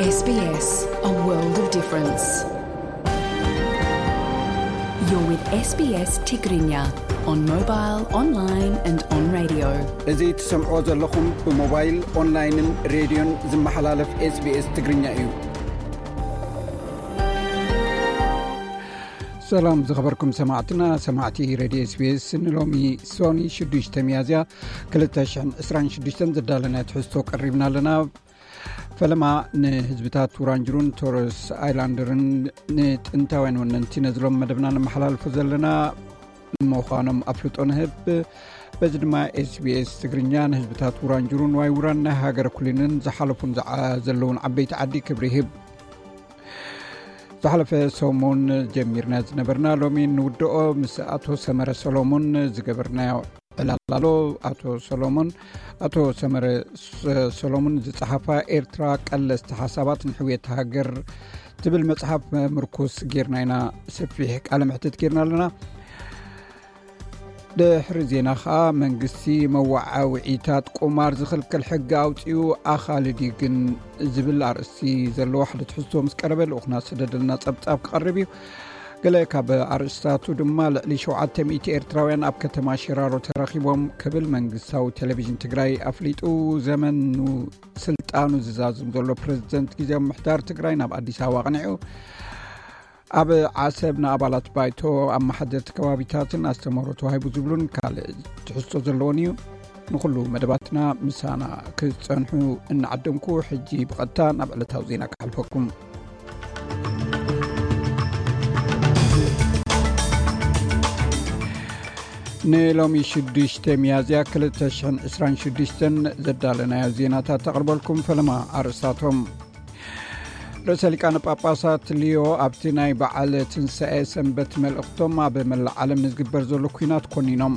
S B S, a world of difference. You're with S B S Tigrinya on mobile, online and on radio. እዚ ትሰምዕዎ ዘለኹም ብሞባይል፣ ኦንላይንን ሬድዮን ዝመሓላለፍ SBS ትግርኛ እዩ። ሰላም ዝኸበርኩም ሰማዕትና፣ ሰማዕቲ ሬድዮ SBS፣ ንሎሚ ሶኒ ሽዱሽተ ሚያዝያ ክልተ ሽሕን ዕስራን ሽዱሽተን ዘዳለናዮ ትሕዝቶ ቀሪብና ኣለና። ፈለማ ንህዝብታት ውራንጅሩን ቶረስ ኣይላንደርን ንጥንታውያን ወነንቲ ነዝሎም መደብና ነመሓላልፎ ዘለና ምዃኖም ኣፍልጦ ንህብ። በዚ ድማ SBS ትግርኛ ንህዝብታት ውራንጅሩን ዋይ ውራን ናይ ሃገር ኩሊንን ዝሓለፉን ዝዓ-፣ ዘለውን ዓበይቲ ዓዲ ክብሪ ይህብ። ዝሓለፈ ሰሙን ጀሚርና ዝነበርና ሎሚ ንውድኦ። ምስ ኣቶ ሰመረ ሰሎሞን ዝገበርናዮ ዕላል ኣሎ። ኣቶ ሰሎሞን፣ ኣቶ ሰመረ ሰ-፣ ሰሎሞን ዝጸሓፋ ኤርትራ ቀለስቲ ሓሳባት ንሕውየት ሃገር ትብል መጽሓፍ ምርኩስ ጌርና ኢና ሰፊሕ ቃለ መሕትት ጌርና ኣለና። ድሕሪ ዜና ኸኣ መንግስቲ መዋዓውዒታት ቁማር ዝኽልክል ሕጊ ኣውጺኡ ኣኻልድ እዩ ግን ዝብል ኣርእስቲ ዘለዎ ሓደ ትሕዝቶ ምስ ቀረበ ልኡኽና ዝሰደደልና ጸብጻብ ክቐርብ እዩ። ገለ ካብ ኣርእስታቱ ድማ ልዕሊ ሸውዓተ ሚእቲ ኤርትራውያን ኣብ ከተማ ሽራሮ ተረኺቦም ክብል መንግስታዊ ቴሌቪዥን ትግራይ ኣፍሊጡ። ዘመኑ ስልጣኑ ዝዛዝም ዘሎ ፕሬዝደንት ግዜያዊ ምምሕዳር ትግራይ ናብ ኣዲስ ኣበባ ኣቕኒዑ። ኣብ ዓሰብ ንኣባላት ባይቶ ኣመሓደርቲ ከባቢታትን ኣስተምህሮ ተዋሂቡ ዝብሉን ካልእ ትሕዝቶ ዘለዎን እዩ። ንኹሉ መደባትና ምሳና ክትጸንሑ እናዓደምኩ፣ ሕጂ ብቐጥታ ናብ ዕለታዊ ዜና ክሓልፈኩም። ንሎሚ ሽዱሽተ ሚያዝያ ክልተ ሽሕን ዕስራን ሽዱሽተን ዘዳለናዮ ዜናታት ተቕርበልኩም። ፈለማ ኣርእስታቶም። ርእሰ ሊቃነ ጳጳሳት ሊዮ ኣብቲ ናይ በዓል ትንሳኤ ሰንበት መልእኽቶም ኣብ መላእ ዓለም ንዝግበር ዘሎ ኲናት ኮኒኖም።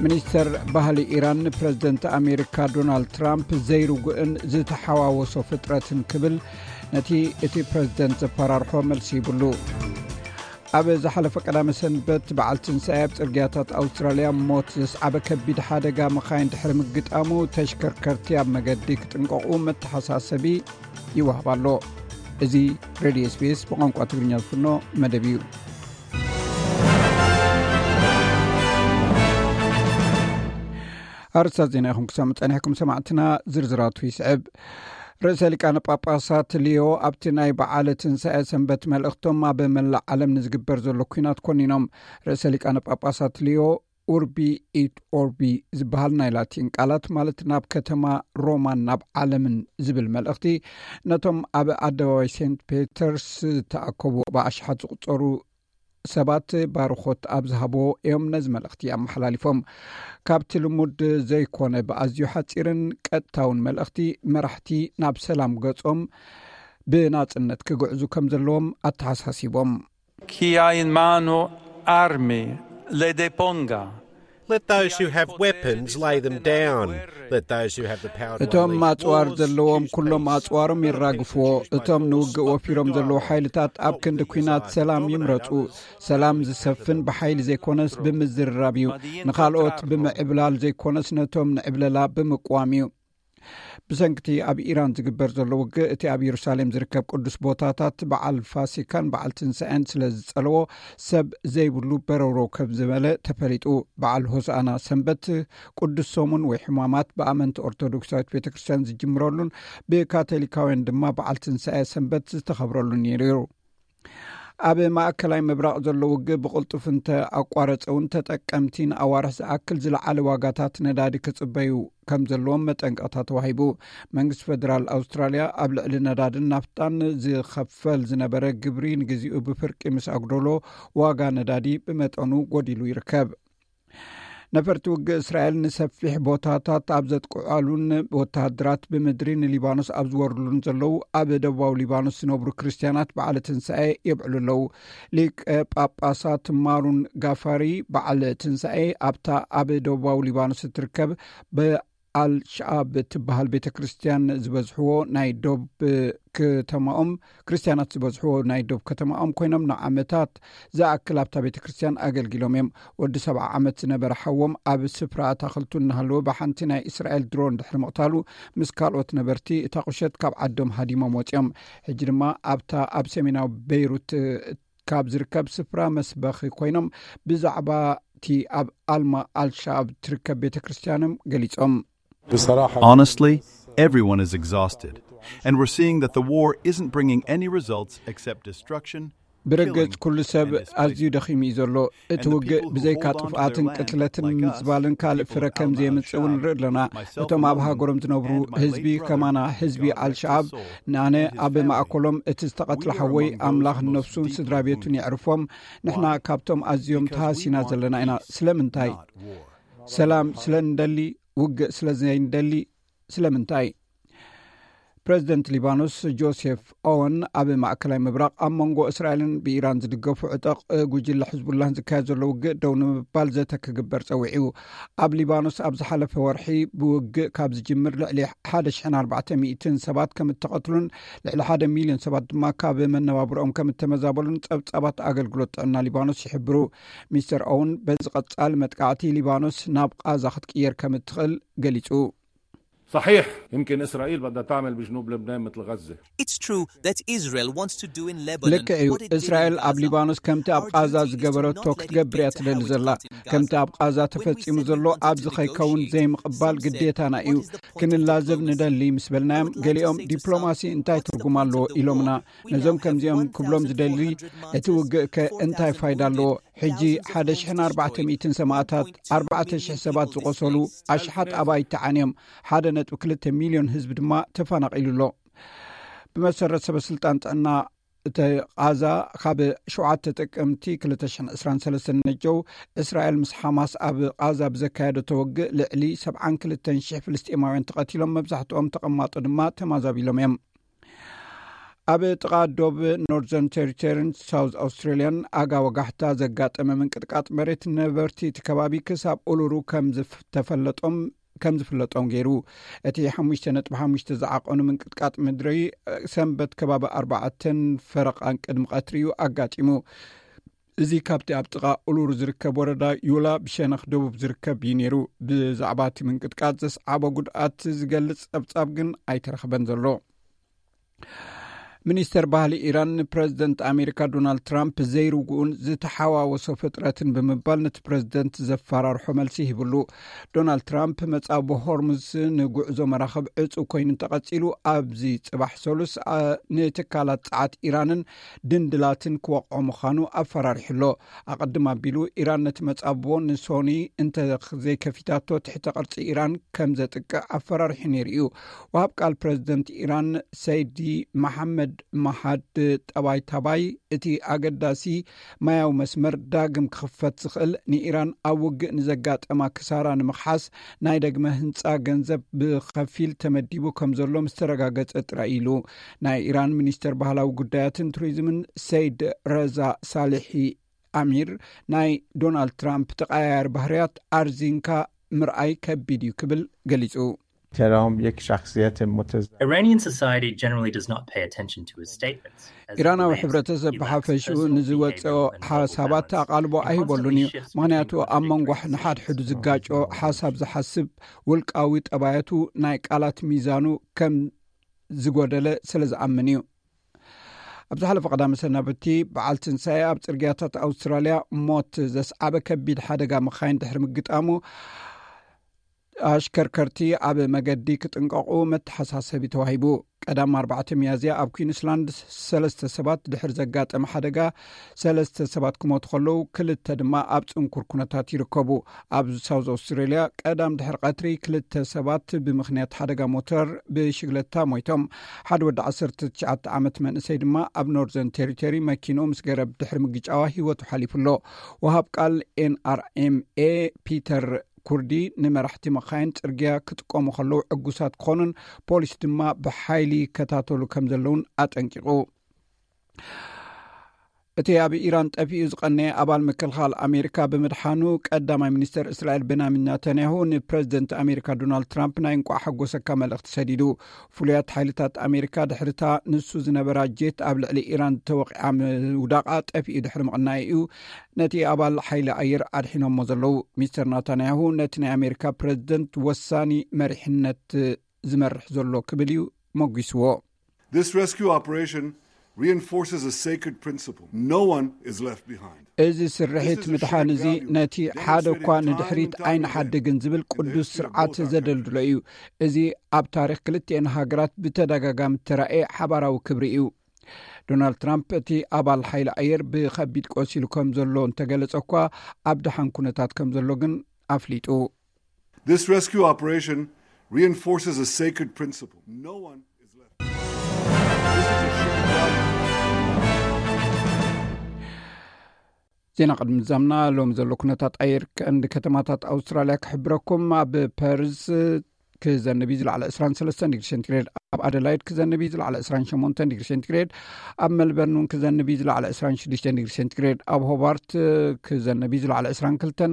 ሚኒስተር ባህሊ ኢራን ንፕረዚደንት ኣሜሪካ ዶናልድ ትራምፕ ዘይርጉእን ዝተሓዋወሶ ፍጥረትን ክብል ነቲ እቲ ፕረዚደንት ዘፈራርሖ መልሲ ይብሉ። ኣብ ዝሓለፈ ቀዳመ ሰንበት በዓል ትንሳኤ ኣብ ጽርግያታት ኣውስትራልያ ሞት ዘስዓበ ከቢድ ሓደጋ መኻይን ድሕሪ ምግጣሙ ተሽከርከርቲ ኣብ መገዲ ክጥንቀቑ መተሓሳሰቢ ይወሃብ ኣሎ። እዚ ሬድዮ SBS ብቋንቋ ትግርኛ ዝፍኖ መደብ እዩ። ኣርእስታት ዜና ኢኹም ክሰምዑ ጸኒሕኩም ሰማዕትና፣ ዝርዝራቱ ይስዕብ። ርእሰ ሊቃነ ጳጳሳት ሊዮ ኣብቲ ናይ በዓለ ትንሳኤ ሰንበት መልእኽቶም ኣብ መላእ ዓለም ንዝግበር ዘሎ ኲናት ኮኒኖም። ርእሰ ሊቃነ ጳጳሳት ሊዮ ኡርቢ ኢት ኦርቢ ዝበሃል ናይ ላቲን ቃላት ማለት ናብ ከተማ ሮማን ናብ ዓለምን ዝብል መልእኽቲ ነቶም ኣብ ኣደባባይ ሴንት ፔተርስ ዝተኣከቡ ብኣሽሓት ዝቑጸሩ ሰባት ባርኾት ኣብ ዝሃብዎ እዮም ነዚ መልእኽቲ ኣመሓላሊፎም። ካብቲ ልሙድ ዘይኮነ ብኣዝዩ ሓጺርን ቀጥታውን መልእኽቲ መራሕቲ ናብ ሰላም ገጾም ብናጽነት ክግዕዙ ከም ዘለዎም ኣተሓሳሲቦም። Chi ha in mano armi le deponga. Let those who have weapons lay them down. Let those who have the power to እቶም unleash ኣጽዋር wars ዘለዎም choose to ኩሎም make ኣጽዋሮም የራግፍዎ። እቶም ንውግእ ወፊሮም ዘለዉ ሓይልታት ኣብ ክንዲ ኲናት ሰላም ይምረጹ። ሰላም ዝሰፍን ብሓይሊ ዘይኮነስ ብምዝርራብ እዩ። ንኻልኦት ብምዕብላል ዘይኮነስ ነቶም ንዕብለላ ብምቅዋም እዩ። ብሰንክቲ ኣብ ኢራን ዝግበር ዘሎ ውግእ፣ እቲ ኣብ የሩሳሌም ዝርከብ ቅዱስ ቦታታት በዓል ፋሲካን በዓል ትንሳኤን ስለ ዝጸለዎ፣ ሰብ ዘይብሉ በረውረው ከም ዝበለ ተፈሊጡ። በዓል ሆሳዕና ሰንበት፣ ቅዱስ ሰሙን ወይ ሕማማት ብኣመንቲ ኦርቶዶክሳዊት ቤተ ክርስቲያን ዝጅምረሉን ብካቶሊካውያን ድማ በዓል ትንሳኤ ሰንበት ዝተኸብረሉን ነይሩ። ኣብ ማእከላይ ምብራቕ ዘሎ ውግእ ብቕልጡፍ እንተ ኣቋረጸ እውን፣ ተጠቀምቲ ንኣዋርሕ ዝኣክል ዝለዓለ ዋጋታት ነዳዲ ክጽበዩ ከም ዘለዎም መጠንቀቕታ ተዋሂቡ። መንግስቲ ፈደራል ኣውስትራልያ ኣብ ልዕሊ ነዳድን ናፍጣን ዝኸፈል ዝነበረ ግብሪ ንግዚኡ ብፍርቂ ምስ ኣጉደሎ፣ ዋጋ ነዳዲ ብመጠኑ ጎዲሉ ይርከብ። ነፈርቲ ውግእ እስራኤል ንሰፊሕ ቦታታት ኣብ ዘጥቅዓሉን ወተሃደራት ብምድሪ ንሊባኖስ ኣብ ዝወርሉን ዘለዉ፣ ኣብ ደቡባዊ ሊባኖስ ዝነብሩ ክርስትያናት በዓለ ትንሳኤ የብዕሉ ኣለዉ። ሊቀ ጳጳሳት ማሩን ጋፋሪ በዓለ ትንሳኤ ኣብታ ኣብ ደቡባዊ ሊባኖስ እትርከብ በ-፣ ኣልሸኣብ እትበሃል ቤተ ክርስትያን ዝበዝሕዎ ናይ ዶብ ከተማኦም፣ ክርስትያናት ዝበዝሕዎ ናይ ዶብ ከተማኦም ኮይኖም፣ ንዓመታት ዝኣክል ኣብታ ቤተ ክርስትያን ኣገልጊሎም እዮም። ወዲ ሰብዓ ዓመት ዝነበረ ሓዎም ኣብ ስፍራ ኣታኽልቱ እናሃለወ ብሓንቲ ናይ እስራኤል ድሮን ድሕሪ ምቕታሉ፣ ምስ ካልኦት ነበርቲ እታ ቁሸት ካብ ዓዶም ሃዲሞም ወፂኦም። ሕጂ ድማ ኣብታ ኣብ ሰሜናዊ ቤይሩት ካብ ዝርከብ ስፍራ መስበኺ ኮይኖም፣ ብዛዕባ እቲ ኣብ ኣልማ ኣልሻኣብ ትርከብ ቤተ ክርስትያኖም ገሊጾም። Honestly, everyone is exhausted, and we're seeing that the war isn't bringing any results except destruction. ብርግጽ ኩሉ ሰብ ኣዝዩ ደኺሙ እዩ ዘሎ። እቲ ውግእ ብዘይካ ጥፍኣትን ቅትለትን ምዝባልን ካልእ ፍረ ከም ዘየምጽእ እውን ንርኢ ኣለና። እቶም ኣብ ሃገሮም ዝነብሩ ህዝቢ ከማና ህዝቢ ኣልሸኣብ፣ ንኣነ ኣብ ማእከሎም እቲ ዝተቐትለ ሓወይ ኣምላኽ ነፍሱን ስድራ ቤቱን የዕርፎም። ንሕና ካብቶም ኣዝዮም ተሃሲና ዘለና ኢና። ስለምንታይ? ሰላም ስለ እንደሊ፣ ውግእ ስለ ዘይንደሊ። ስለምንታይ? ፕረዚደንት ሊባኖስ ጆሴፍ ኦወን ኣብ ማእከላይ ምብራቕ ኣብ መንጎ እስራኤልን ብኢራን ዝድገፉ ዕጠቕ ጉጅለ ሕዝቡላህን ዝካየድ ዘሎ ውግእ ደው ንምባል ዘተ ክግበር ጸዊዑ። ኣብ ሊባኖስ ኣብ ዝሓለፈ ወርሒ ብውግእ ካብ ዝጅምር ልዕሊ ሓደ ሽሕን ኣርባዕተ ሚእትን ሰባት ከም እተቐትሉን ልዕሊ ሓደ ሚልዮን ሰባት ድማ ካብ መነባብሮኦም ከም እተመዛበሉን ጸብጻባት ኣገልግሎት ጥዕና ሊባኖስ ይሕብሩ። ሚስተር ኦውን በዚ ቀጻሊ መጥቃዕቲ ሊባኖስ ናብ ቃዛ ክትቅየር ከም እትኽእል ገሊጹ። صحيح، يمكن إسرائيل بدها تعمل بجنوب لبنان مثل غزة. It's true that Israel wants to do in Lebanon ልክዕ እዩ። what it did in እስራኤል ኣብ Gaza. ሊባኖስ ከምቲ ኣብ Our ቃዛ duty is to ዝገበረቶ not let ክትገብር it እያ get ትደሊ worse ዘላ። than it did in ከምቲ Gaza. ኣብ ቃዛ When we ተፈጺሙ said we ዘሎ wanted ኣብዚ to ከይከውን negotiate, ዘይምቕባል some said, ግዴታና እዩ። "What is the point of ክንላዘብ talking? ንደሊ ምስ በልናዮም፣ What is the ገሊኦም point of ዲፕሎማሲ እንታይ discussing the ትርጉም ኣለዎ?" war?" ኢሎምና። We ነዞም now have ከምዚኦም ክብሎም ዝደሊ፣ one thousand four hundred እቲ ውግእ ከ እንታይ ፋይዳ ኣለዎ? ሕጂ ሓደ ሽሕን ኣርባዕተ ሚእትን ሰማእታት፣ ኣርባዕተ ሽሕ ሰባት ዝቆሰሉ፣ ኣሽሓት ኣባይቲ ተዓንዮም፣ ሓደ ነጥቢ ክልተ ሚልዮን ህዝቢ ድማ ተፈናቒሉ ኣሎ። ብመሰረት ሰበ ስልጣን ጥዕና እቲ ቃዛ፣ ካብ ሸውዓተ ጥቅምቲ ክልተ ሽሕን ዕስራን ሰለስተን ነጀው፣ እስራኤል ምስ ሓማስ ኣብ ቃዛ ብዘካየደቶ ውግእ ልዕሊ ሰብዓን ክልተን ሽሕ ፍልስጤማውያን ተቐቲሎም፣ መብዛሕትኦም ተቐማጦ ድማ ተማዛቢሎም እዮም። ኣብ ጥቓ ዶብ ኖርዘርን ቴሪቶሪን ሳውዝ ኣውስትራሊያን ኣጋ ወጋሕታ ዘጋጠመ ምንቅጥቃጥ መሬት ነበርቲ እቲ ከባቢ ክሳብ ኡሉሩ ከም ዝፍ- ተፈለጦም ከም ዝፍለጦም ገይሩ። እቲ ሓሙሽተ ነጥቢ ሓሙሽተ ዝዓቐኑ ምንቅጥቃጥ ምድሪ ሰንበት ከባቢ ኣርባዕተን ፈረቓን ቅድሚ ቀትሪ እዩ ኣጋጢሙ። እዚ ካብቲ ኣብ ጥቓ ኡሉሩ ዝርከብ ወረዳ ዩላ ብሸነኽ ደቡብ ዝርከብ እዩ ነይሩ። ብዛዕባ እቲ ምንቅጥቃጥ ዘስዓቦ ጉድኣት ዝገልጽ ጸብጻብ ግን ኣይተረኽበን ዘሎ። ሚኒስተር ባህሊ ኢራን ንፕረዚደንት ኣሜሪካ ዶናልድ ትራምፕ ዘይርጉኡን ዝተሓዋወሶ ፍጥረትን ብምባል ነቲ ፕረዚደንት ዘፈራርሖ መልሲ ሂብሉ። ዶናልድ ትራምፕ መጻብቦ ሆርሙዝ ንጉዕዞ መራኽብ ዕጹ ኮይኑ እንተቐጺሉ፣ ኣብዚ ጽባሕ ሰሉስ፣ ኣ፣ ንትካላት ጸዓት ኢራንን ድንድላትን ክወቕዖ ምዃኑ ኣፈራሪሑ ኣሎ። ኣቐድም ኣቢሉ ኢራን ነቲ መጻብቦ ንሶኒ እንተ ዘይከፊታቶ፣ ትሕተ ቅርጺ ኢራን ከም ዘጥቅዕ ኣፈራሪሑ ነይሩ እዩ። ወሃብ ቃል ፕረዚደንት ኢራን ሰይዲ መሓመድ መሃድ ጠባይ ታባይ፣ እቲ ኣገዳሲ ማያዊ መስመር ዳግም ክኽፈት ዝኽእል ንኢራን ኣብ ውግእ ንዘጋጠማ ክሳራ ንምኽሓስ ናይ ደግመ ህንጻ ገንዘብ ብኸፊል ተመዲቡ ከም ዘሎ ምስ ተረጋገጸ ጥራይ ኢሉ። ናይ ኢራን ሚኒስተር ባህላዊ ጉዳያትን ቱሪዝምን ሰይድ ረዛ ሳሊሒ ኣሚር፣ ናይ ዶናልድ ትራምፕ ተቐያያሪ ባህርያት ኣርዚንካ ምርኣይ ከቢድ እዩ ክብል ገሊጹ። ترامپ یک شخصیت متضاد Iranian society generally does not pay attention to his statements. As it ኢራናዊ relates, ሕብረተሰብ he lacks ብሓፈሽኡ personal ንዝወፅኦ behavioral and moral ሓሳባት balance. ኣቓልቦ He ኣይህበሉን እዩ። constantly shifts ምኽንያቱ between ኣብ መንጎ contradictory ንሓድሕዱ positions. ዝጋጮ ሓሳብ ዝሓስብ ውልቃዊ ጠባያቱ ናይ ቃላት ሚዛኑ ከም ዝጎደለ ስለ ዝኣምን እዩ። ኣብ ዝሓለፈ ቀዳመ ሰናብቲ በዓል ትንሳኤ ኣብ ጽርግያታት ኣውስትራልያ ሞት ዘስዓበ ከቢድ ሓደጋ መኻይን ድሕሪ ምግጣሙ፣ ኣሽከርከርቲ ኣብ መገዲ ክጥንቀቑ መተሓሳሰቢ ተዋሂቡ። ቀዳም ኣርባዕተ ሚያዝያ ኣብ ኩዊንስላንድ ሰለስተ ሰባት ድሕሪ ዘጋጠመ ሓደጋ፣ ሰለስተ ሰባት ክሞቱ ከለዉ፣ ክልተ ድማ ኣብ ጽንኩር ኩነታት ይርከቡ። ኣብ ሳውዝ ኣውስትሬልያ ቀዳም ድሕሪ ቀትሪ ክልተ ሰባት ብምኽንያት ሓደጋ ሞተር ብሽግለታ ሞይቶም። ሓደ ወዲ ዓሰርተ ትሽዓተ ዓመት መንእሰይ ድማ ኣብ ኖርዘርን ቴሪቶሪ መኪንኡ ምስ ገረብ ድሕሪ ምግጫዋ ህይወቱ ሓሊፉ ኣሎ። ወሃብ ቃል ኤንኣርኤምኤ ፒተር ኩርዲ ንመራሕቲ መኻይን ጽርግያ ክጥቀሙ ከለዉ ዕጉሳት ክኾኑን ፖሊስ ድማ ብሓይሊ ይከታተሉ ከም ዘለውን ኣጠንቂቑ። እቲ ኣብ ኢራን ጠፊኡ ዝቐነየ ኣባል ምክልኻል ኣሜሪካ ብምድሓኑ፣ ቀዳማይ ሚኒስተር እስራኤል ቤንያሚን ናታንያሁ ንፕረዚደንት ኣሜሪካ ዶናልድ ትራምፕ ናይ እንቋዕ ሓጎሰካ መልእኽቲ ሰዲዱ። ፍሉያት ሓይልታት ኣሜሪካ ድሕሪታ ንሱ ዝነበራ ጄት ኣብ ልዕሊ ኢራን ተወቒዓ ምውዳቓ ጠፊኡ ድሕሪ ምቕናዩ እዩ ነቲ ኣባል ሓይሊ ኣየር ኣድሒኖሞ ዘለዉ። ሚስተር ናታንያሁ ነቲ ናይ ኣሜሪካ ፕረዚደንት ወሳኒ መሪሕነት ዝመርሕ ዘሎ ክብል እዩ መጒስዎ። This rescue operation reinforces a sacred principle: no one is left behind. እዚ ስርሒት ምድሓን እዚ ነቲ ሓደ እኳ ንድሕሪት ኣይንሓድግን ዝብል ቅዱስ ስርዓት ዘደልድሎ እዩ። እዚ ኣብ ታሪክ ክልቲኤን ሃገራት ብተደጋጋሚ እተራእየ ሓባራዊ ክብሪ እዩ። ዶናልድ ትራምፕ እቲ ኣባል ሓይሊ ኣየር ብኸቢድ ቆሲሉ ከም ዘሎ እንተገለጸ እኳ፣ ኣብ ደሓን ኩነታት ከም ዘሎ ግን ኣፍሊጡ። This rescue operation reinforces a sacred principle: no one is left behind. ዜና ቅድሚ ዛምና ሎም ዘሎ ኩነታት ኣየር ቀንዲ ከተማታት ኣውስትራልያ ክሕብረኩም። ኣብ ፐርስ ክዘንብ እዩ ዝለዓለ ዕስራን ሰለስተን ዲግሪ ሴንቲግሬድ፣ ኣብ ኣደላይድ ክዘንብ እዩ ዝለዓለ ዕስራን ሸሞንተን ዲግሪ ሴንቲግሬድ፣ ኣብ መልበርን እውን ክዘንብ እዩ ዝለዓለ ዕስራን ሽዱሽተን ዲግሪ ሴንቲግሬድ፣ ኣብ ሆባርት ክዘንብ እዩ ዝለዓለ ዕስራን ክልተን፣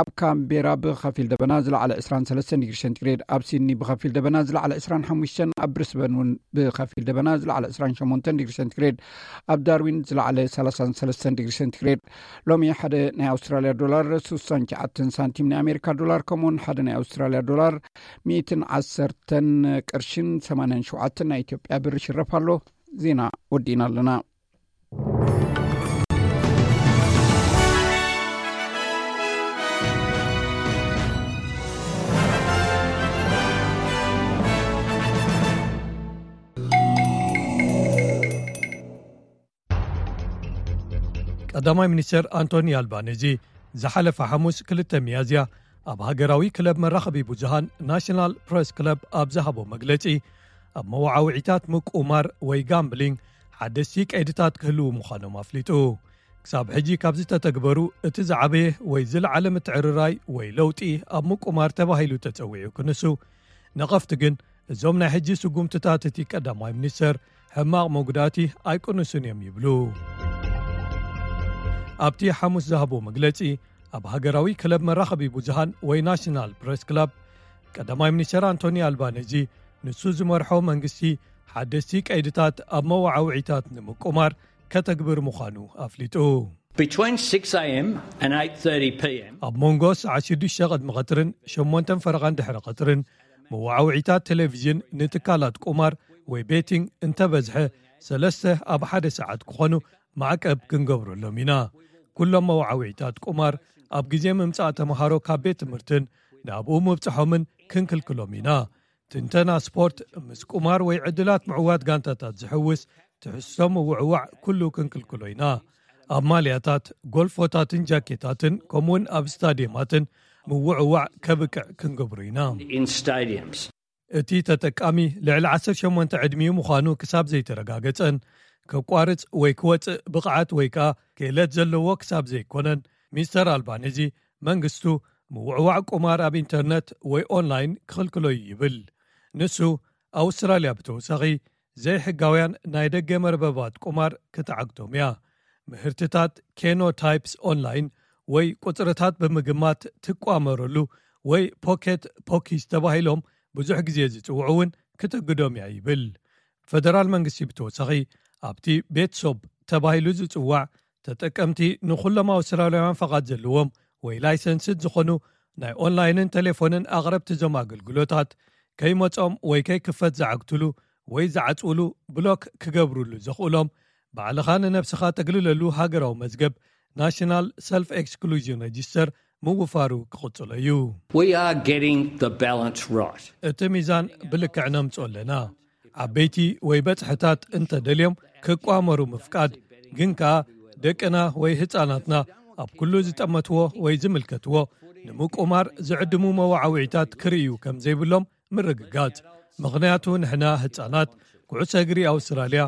ኣብ ካምቤራ ብኸፊል ደበና ዝለዓለ ዕስራን ሰለስተን ዲግሪ ሴንቲግሬድ፣ ኣብ ሲድኒ ብኸፊል ደበና ዝለዓለ ዕስራን ሓሙሽተን፣ ኣብ ብሪስበን እውን ብኸፊል ደበና ዝለዓለ ዕስራን ሸሞንተን ዲግሪ ሴንቲግሬድ፣ ኣብ ዳርዊን ዝለዓለ ሰላሳን ሰለስተን ዲግሪ ሴንቲግሬድ። ሎሚ ሓደ ናይ ኣውስትራልያ ዶላር ስሳን ትሽዓተን ሳንቲም ናይ ኣሜሪካ ዶላር፣ ከምኡውን ሓደ ናይ ኣውስትራልያ ዶላር ሚእትን ዓሰርተን ቅርሽን ሰማንያን ሸውዓተን ናይ ኢትዮጵያ ብር ይሽረፍ ኣሎ። ዜና ወዲእና ኣለና። ቀዳማይ ሚኒስተር ኣንቶኒ ኣልባኔዚ ዝሓለፈ ሓሙስ ክልተ ሚያዝያ ኣብ ሃገራዊ ክለብ መራኸቢ ብዙሃን ናሽናል ፕረስ ክለብ ኣብ ዝሃቦ መግለጺ፣ ኣብ መወዓውዒታት ምቁማር ወይ ጋምብሊንግ ሓደስቲ ቀይድታት ክህልዉ ምዃኖም ኣፍሊጡ። ክሳብ ሕጂ ካብ ዝተተግበሩ እቲ ዝዓበየ ወይ ዝለዓለ ምትዕርራይ ወይ ለውጢ ኣብ ምቁማር ተባሂሉ ተጸዊዑ ክንሱ፣ ነቐፍቲ ግን እዞም ናይ ሕጂ ስጉምትታት እቲ ቀዳማይ ሚኒስተር ሕማቕ መጉዳእቲ ኣይቅንሱን እዮም ይብሉ። ኣብቲ ሓሙስ ዝሃቦ መግለጺ፣ ኣብ ሃገራዊ ክለብ መራኸቢ ብዙሃን ወይ ናሽናል ፕረስ ክለብ፣ ቀዳማይ ሚኒስተር ኣንቶኒ ኣልባኔዚ ንሱ ዝመርሖ መንግስቲ ሓደስቲ ቀይድታት ኣብ መወዓውዒታት ንምቁማር ከተግብር ምዃኑ ኣፍሊጡ። Between six a.m. and eight thirty p.m. ኣብ መንጎ ሰዓት ሽዱሽተ ቅድሚ ቀትርን ሸሞንተን ፈረቓን ድሕሪ ቀትርን መወዓውዒታት ቴሌቪዥን ንትካላት ቁማር ወይ ቤቲንግ እንተበዝሐ ሰለስተ ኣብ ሓደ ሰዓት ክኾኑ ማዕቀብ ክንገብረሎም ኢና። ኩሎም መወዓውዒታት ቁማር ኣብ ግዜ ምምጻእ ተምሃሮ ካብ ቤት ትምህርትን ናብኡ ምብጽሖምን ክንክልክሎም ኢና። ትንተና ስፖርት ምስ ቁማር ወይ ዕድላት ምዕዋት ጋንታታት ዝሕውስ ትሕዝቶ ምውዕዋዕ ኩሉ ክንክልክሎ ኢና። ኣብ ማልያታት፣ ጎልፎታትን ጃኬታትን ከምኡውን ኣብ ስታዲየማትን ምውዕዋዕ ከብቅዕ ክንገብሮ ኢና። In stadiums. እቲ ተጠቃሚ ልዕሊ ዓሰርተ ሸሞንተ ዕድሚኡ ምዃኑ ክሳብ ዘይተረጋገጸን ከቋርጽ ወይ ክወጽእ ብቕዓት ወይ ከኣ ክእለት ዘለዎ ክሳብ ዘይኮነን፣ ሚስተር ኣልባኔዚ መንግስቱ ምውዕዋዕ ቁማር ኣብ ኢንተርነት ወይ ኦንላይን ክኽልክሎ እዩ ይብል። ንሱ ኣውስትራልያ ብተወሳኺ ዘይሕጋውያን ናይ ደገ መርበባት ቁማር ክትዓግቶም እያ። ምህርትታት ኬኖ ታይፕስ ኦንላይን ወይ ቁጽርታት ብምግማት ትቋመረሉ ወይ ፖኬት ፖኪስ ተባሂሎም ብዙሕ ግዜ ዝጽውዑ እውን ክትግዶም እያ ይብል። ፈደራል መንግስቲ ብተወሳኺ ኣብቲ ቤት ሶብ ተባሂሉ ዝጽዋዕ ተጠቀምቲ ንኹሎም ኣውስትራልያውያን ፈቓድ ዘለዎም ወይ ላይሰንስድ ዝኾኑ ናይ ኦንላይንን ቴሌፎንን ኣቕረብቲ እዞም ኣገልግሎታት ከይመጾም ወይ ከይክፈት ዝዓግትሉ ወይ ዝዓጽውሉ ብሎክ ክገብሩሉ ዘኽእሎም ባዕልኻ ንነብስኻ ተግልለሉ ሃገራዊ መዝገብ ናሽናል ሰልፍ ኤክስክሉዥን ሬጂስተር ምውፋሩ ክቕጽሎ እዩ። We are getting the balance right. እቲ ሚዛን ብልክዕ ነምጽኦ ኣለና። ዓበይቲ ወይ በጽሕታት እንተደልዮም ክቋመሩ ምፍቃድ፣ ግን ከኣ ደቅና ወይ ህጻናትና ኣብ ኩሉ ዝጠመትዎ ወይ ዝምልከትዎ ንምቁማር ዝዕድሙ መዋዓዊዒታት ክርእዩ ከም ዘይብሎም ምርግጋጽ። ምኽንያቱ ንሕና ህጻናት ኩዕሶ እግሪ ኣውስትራልያ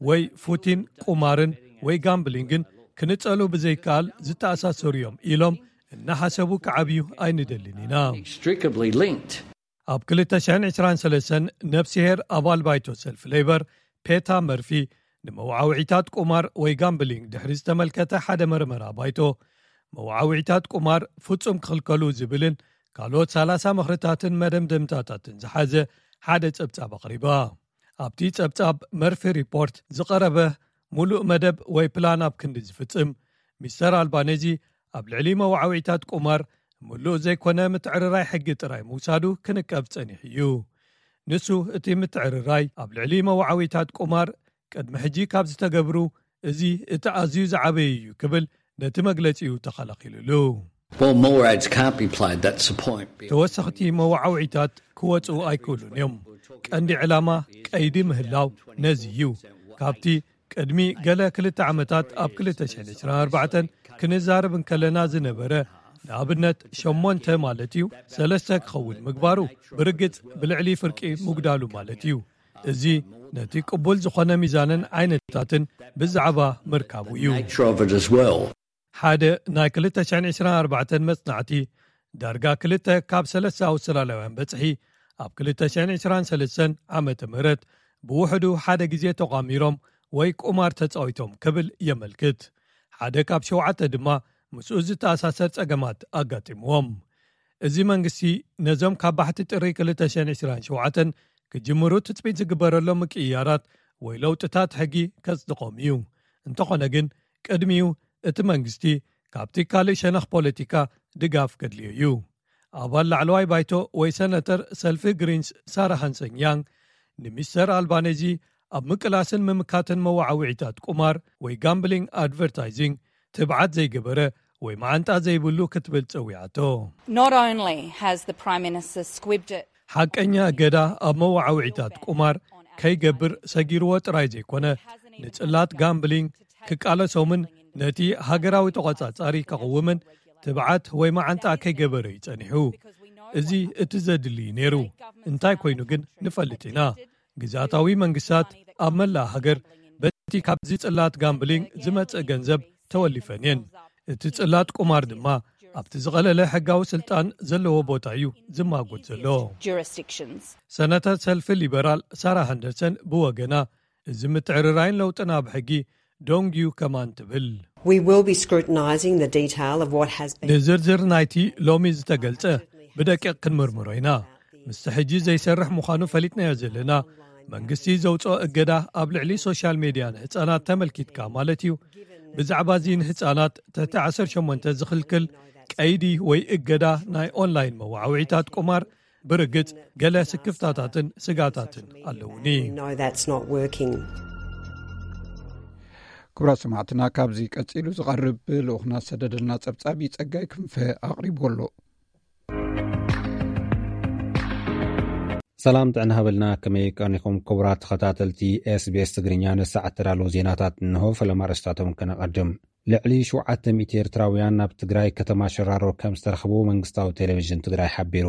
ወይ ፉቲን ቁማርን ወይ ጋምብሊንግን ክንጸሉ ብዘይከኣል ዝተኣሳሰሩ እዮም ኢሎም እናሓሰቡ ክዓብዩ ኣይንደልን ኢና። Inextricably linked. ኣብ ክልተ ሽሕን ዕስራን ሰለስተን ነፍስሄር ኣባል ባይቶ ሰልፊ ሌበር ፔታ መርፊ ንመወዓውዒታት ቁማር ወይ ጋምብሊንግ ድሕሪ ዝተመልከተ ሓደ መርመራ ባይቶ፣ መወዓውዒታት ቁማር ፍጹም ክኽልከሉ ዝብልን ካልኦት ሰላሳ ምኽርታትን መደምደምታታትን ዝሓዘ ሓደ ጸብጻብ ኣቕሪባ። ኣብቲ ጸብጻብ መርፊ ሪፖርት ዝቐረበ፣ ሙሉእ መደብ ወይ ፕላን ኣብ ክንዲ ዝፍጽም፣ ሚስተር ኣልባኔዚ ኣብ ልዕሊ መወዓውዒታት ቁማር ምሉእ ዘይኮነ ምትዕርራይ ሕጊ ጥራይ ምውሳዱ ክንቀፍ ጸኒሑ እዩ። ንሱ፣ እቲ ምትዕርራይ ኣብ ልዕሊ መወዓውዒታት ቁማር ቅድሚ ሕጂ ካብ ዝተገብሩ፣ እዚ እቲ ኣዝዩ ዝዓበየ እዩ ክብል ነቲ መግለጺኡ ተኸላኺሉሉ። Well, more ads can't be played, that's the point. ተወሰኽቲ መወዓውዒታት ክወፁ ኣይክእሉን እዮም። ቀንዲ ዕላማ ቀይዲ ምህላው ነዚ እዩ። ካብቲ ቅድሚ ገለ ክልተ ዓመታት ኣብ ክልተ ሽሕን ዕስራን ኣርባዕተን ክንዛረብ እንከለና ዝነበረ፣ ንኣብነት ሸሞንተ ማለት እዩ፣ ሰለስተ ክኸውን ምግባሩ፣ ብርግጽ ብልዕሊ ፍርቂ ምጉዳሉ ማለት እዩ። እዚ ነቲ ቅቡል ዝኾነ ሚዛንን ዓይነታትን ብዛዕባ ምርካቡ እዩ። Nature of it as well. ሓደ ናይ ክልተ ሽሕን ዕስራን ኣርባዕተን መጽናዕቲ፣ ዳርጋ ክልተ ካብ ሰለስተ ኣውስትራልያውያን በጽሒ ኣብ ክልተ ሽሕን ዕስራን ሰለስተን ዓመተ ምህረት ብውሕዱ ሓደ ግዜ ተቋሚሮም ወይ ቁማር ተጻዊቶም ክብል የመልክት። ሓደ ካብ ሸውዓተ ድማ ምስኡ ዝተኣሳሰር ጸገማት ኣጋጢምዎም። እዚ መንግስቲ ነዞም ካብ ባሕቲ ጥሪ ክልተ ሽሕን ዕስራን ሸውዓተን ክጅምሩ ትጽቢት ዝግበረሎም ምቅይያራት ወይ ለውጥታት ሕጊ ከጽድቖም እዩ። እንተኾነ ግን፣ ቅድሚኡ እቲ መንግስቲ ካብቲ ካልእ ሸነኽ ፖለቲካ ድጋፍ ከድልዮ እዩ። ኣባል ላዕለዋይ ባይቶ ወይ ሰነተር ሰልፊ ግሪንስ ሳራ ሃንሰን ያንግ፣ ንሚስተር ኣልባኔዚ ኣብ ምቅላስን ምምካትን መወዓውዒታት ቁማር ወይ ጋምብሊንግ ኣድቨርታይዚንግ ትብዓት ዘይገበረ ወይ መዓንጣ ዘይብሉ ክትብል ጸዊዓቶ። Not only has the Prime Minister squibbed it, ሓቀኛ እገዳ ኣብ መወዓውዒታት ቁማር ከይገብር ሰጊርዎ ጥራይ ዘይኮነ፣ ንጽላት ጋምብሊንግ ክቃለሶምን ነቲ ሃገራዊ ተቖጻጻሪ ከቕውምን ትብዓት ወይ መዓንጣ ከይገበረ እዩ ጸኒሑ። እዚ እቲ ዘድሊ እዩ ነይሩ። እንታይ ኮይኑ ግን ንፈልጥ ኢና። ግዝኣታዊ መንግስታት ኣብ መላእ ሃገር በቲ ካብዚ ጽላት ጋምብሊንግ ዝመጽእ ገንዘብ ተወሊፈን እየን። እቲ ጽላት ቁማር ድማ ኣብቲ ዝቐለለ ሕጋዊ ስልጣን ዘለዎ ቦታ እዩ ዝማጎት ዘሎ። Jurisdictions. ሰነተር ሰልፊ ሊበራል ሳራ ሃንደርሰን ብወገና፣ እዚ ምትዕርራይን ለውጥን ኣብ ሕጊ ዶንግዩ ከማን ትብል። We will be scrutinising the detail of what has been. ንዝርዝር ናይቲ ሎሚ ዝተገልጸ ብደቂቕ ክንምርምሮ ኢና። ምስቲ ሕጂ ዘይሰርሕ ምዃኑ ፈሊጥናዮ ዘለና፣ መንግስቲ ዘውፅኦ እገዳ ኣብ ልዕሊ ሶሻል ሜድያ ንህፃናት ተመልኪትካ ማለት እዩ። ብዛዕባ እዚ ንህፃናት ትሕቲ ዓሰርተ ሸሞንተ ዝኽልክል ቀይዲ ወይ እገዳ ናይ ኦንላይን መወዓውዒታት ቁማር ብርግጽ ገለ ስክፍታታትን ስጋታትን ኣለውኒ። No, that's not working. ክቡራት ሰማዕትና፣ ካብዚ ቀጺሉ ዝቐርብ ልኡኽና ዝሰደደልና ጸብጻብ ጸጋይ ክንፈ ኣቕሪቡ ኣሎ። ሰላም ጥዕና ሃበልና፣ ከመይ ቀኒኹም ክቡራት ተኸታተልቲ ኤስቢኤስ ትግርኛ? ንሰዓት ተዳለዉ ዜናታት እንሆ። ፈለማ ኣርእስታቶም ከነቐድም። ልዕሊ ሸውዓተ ሚእቲ ኤርትራውያን ናብ ትግራይ ከተማ ሸራሮ ከም ዝተረኽቡ መንግስታዊ ቴሌቪዥን ትግራይ ሓቢሩ።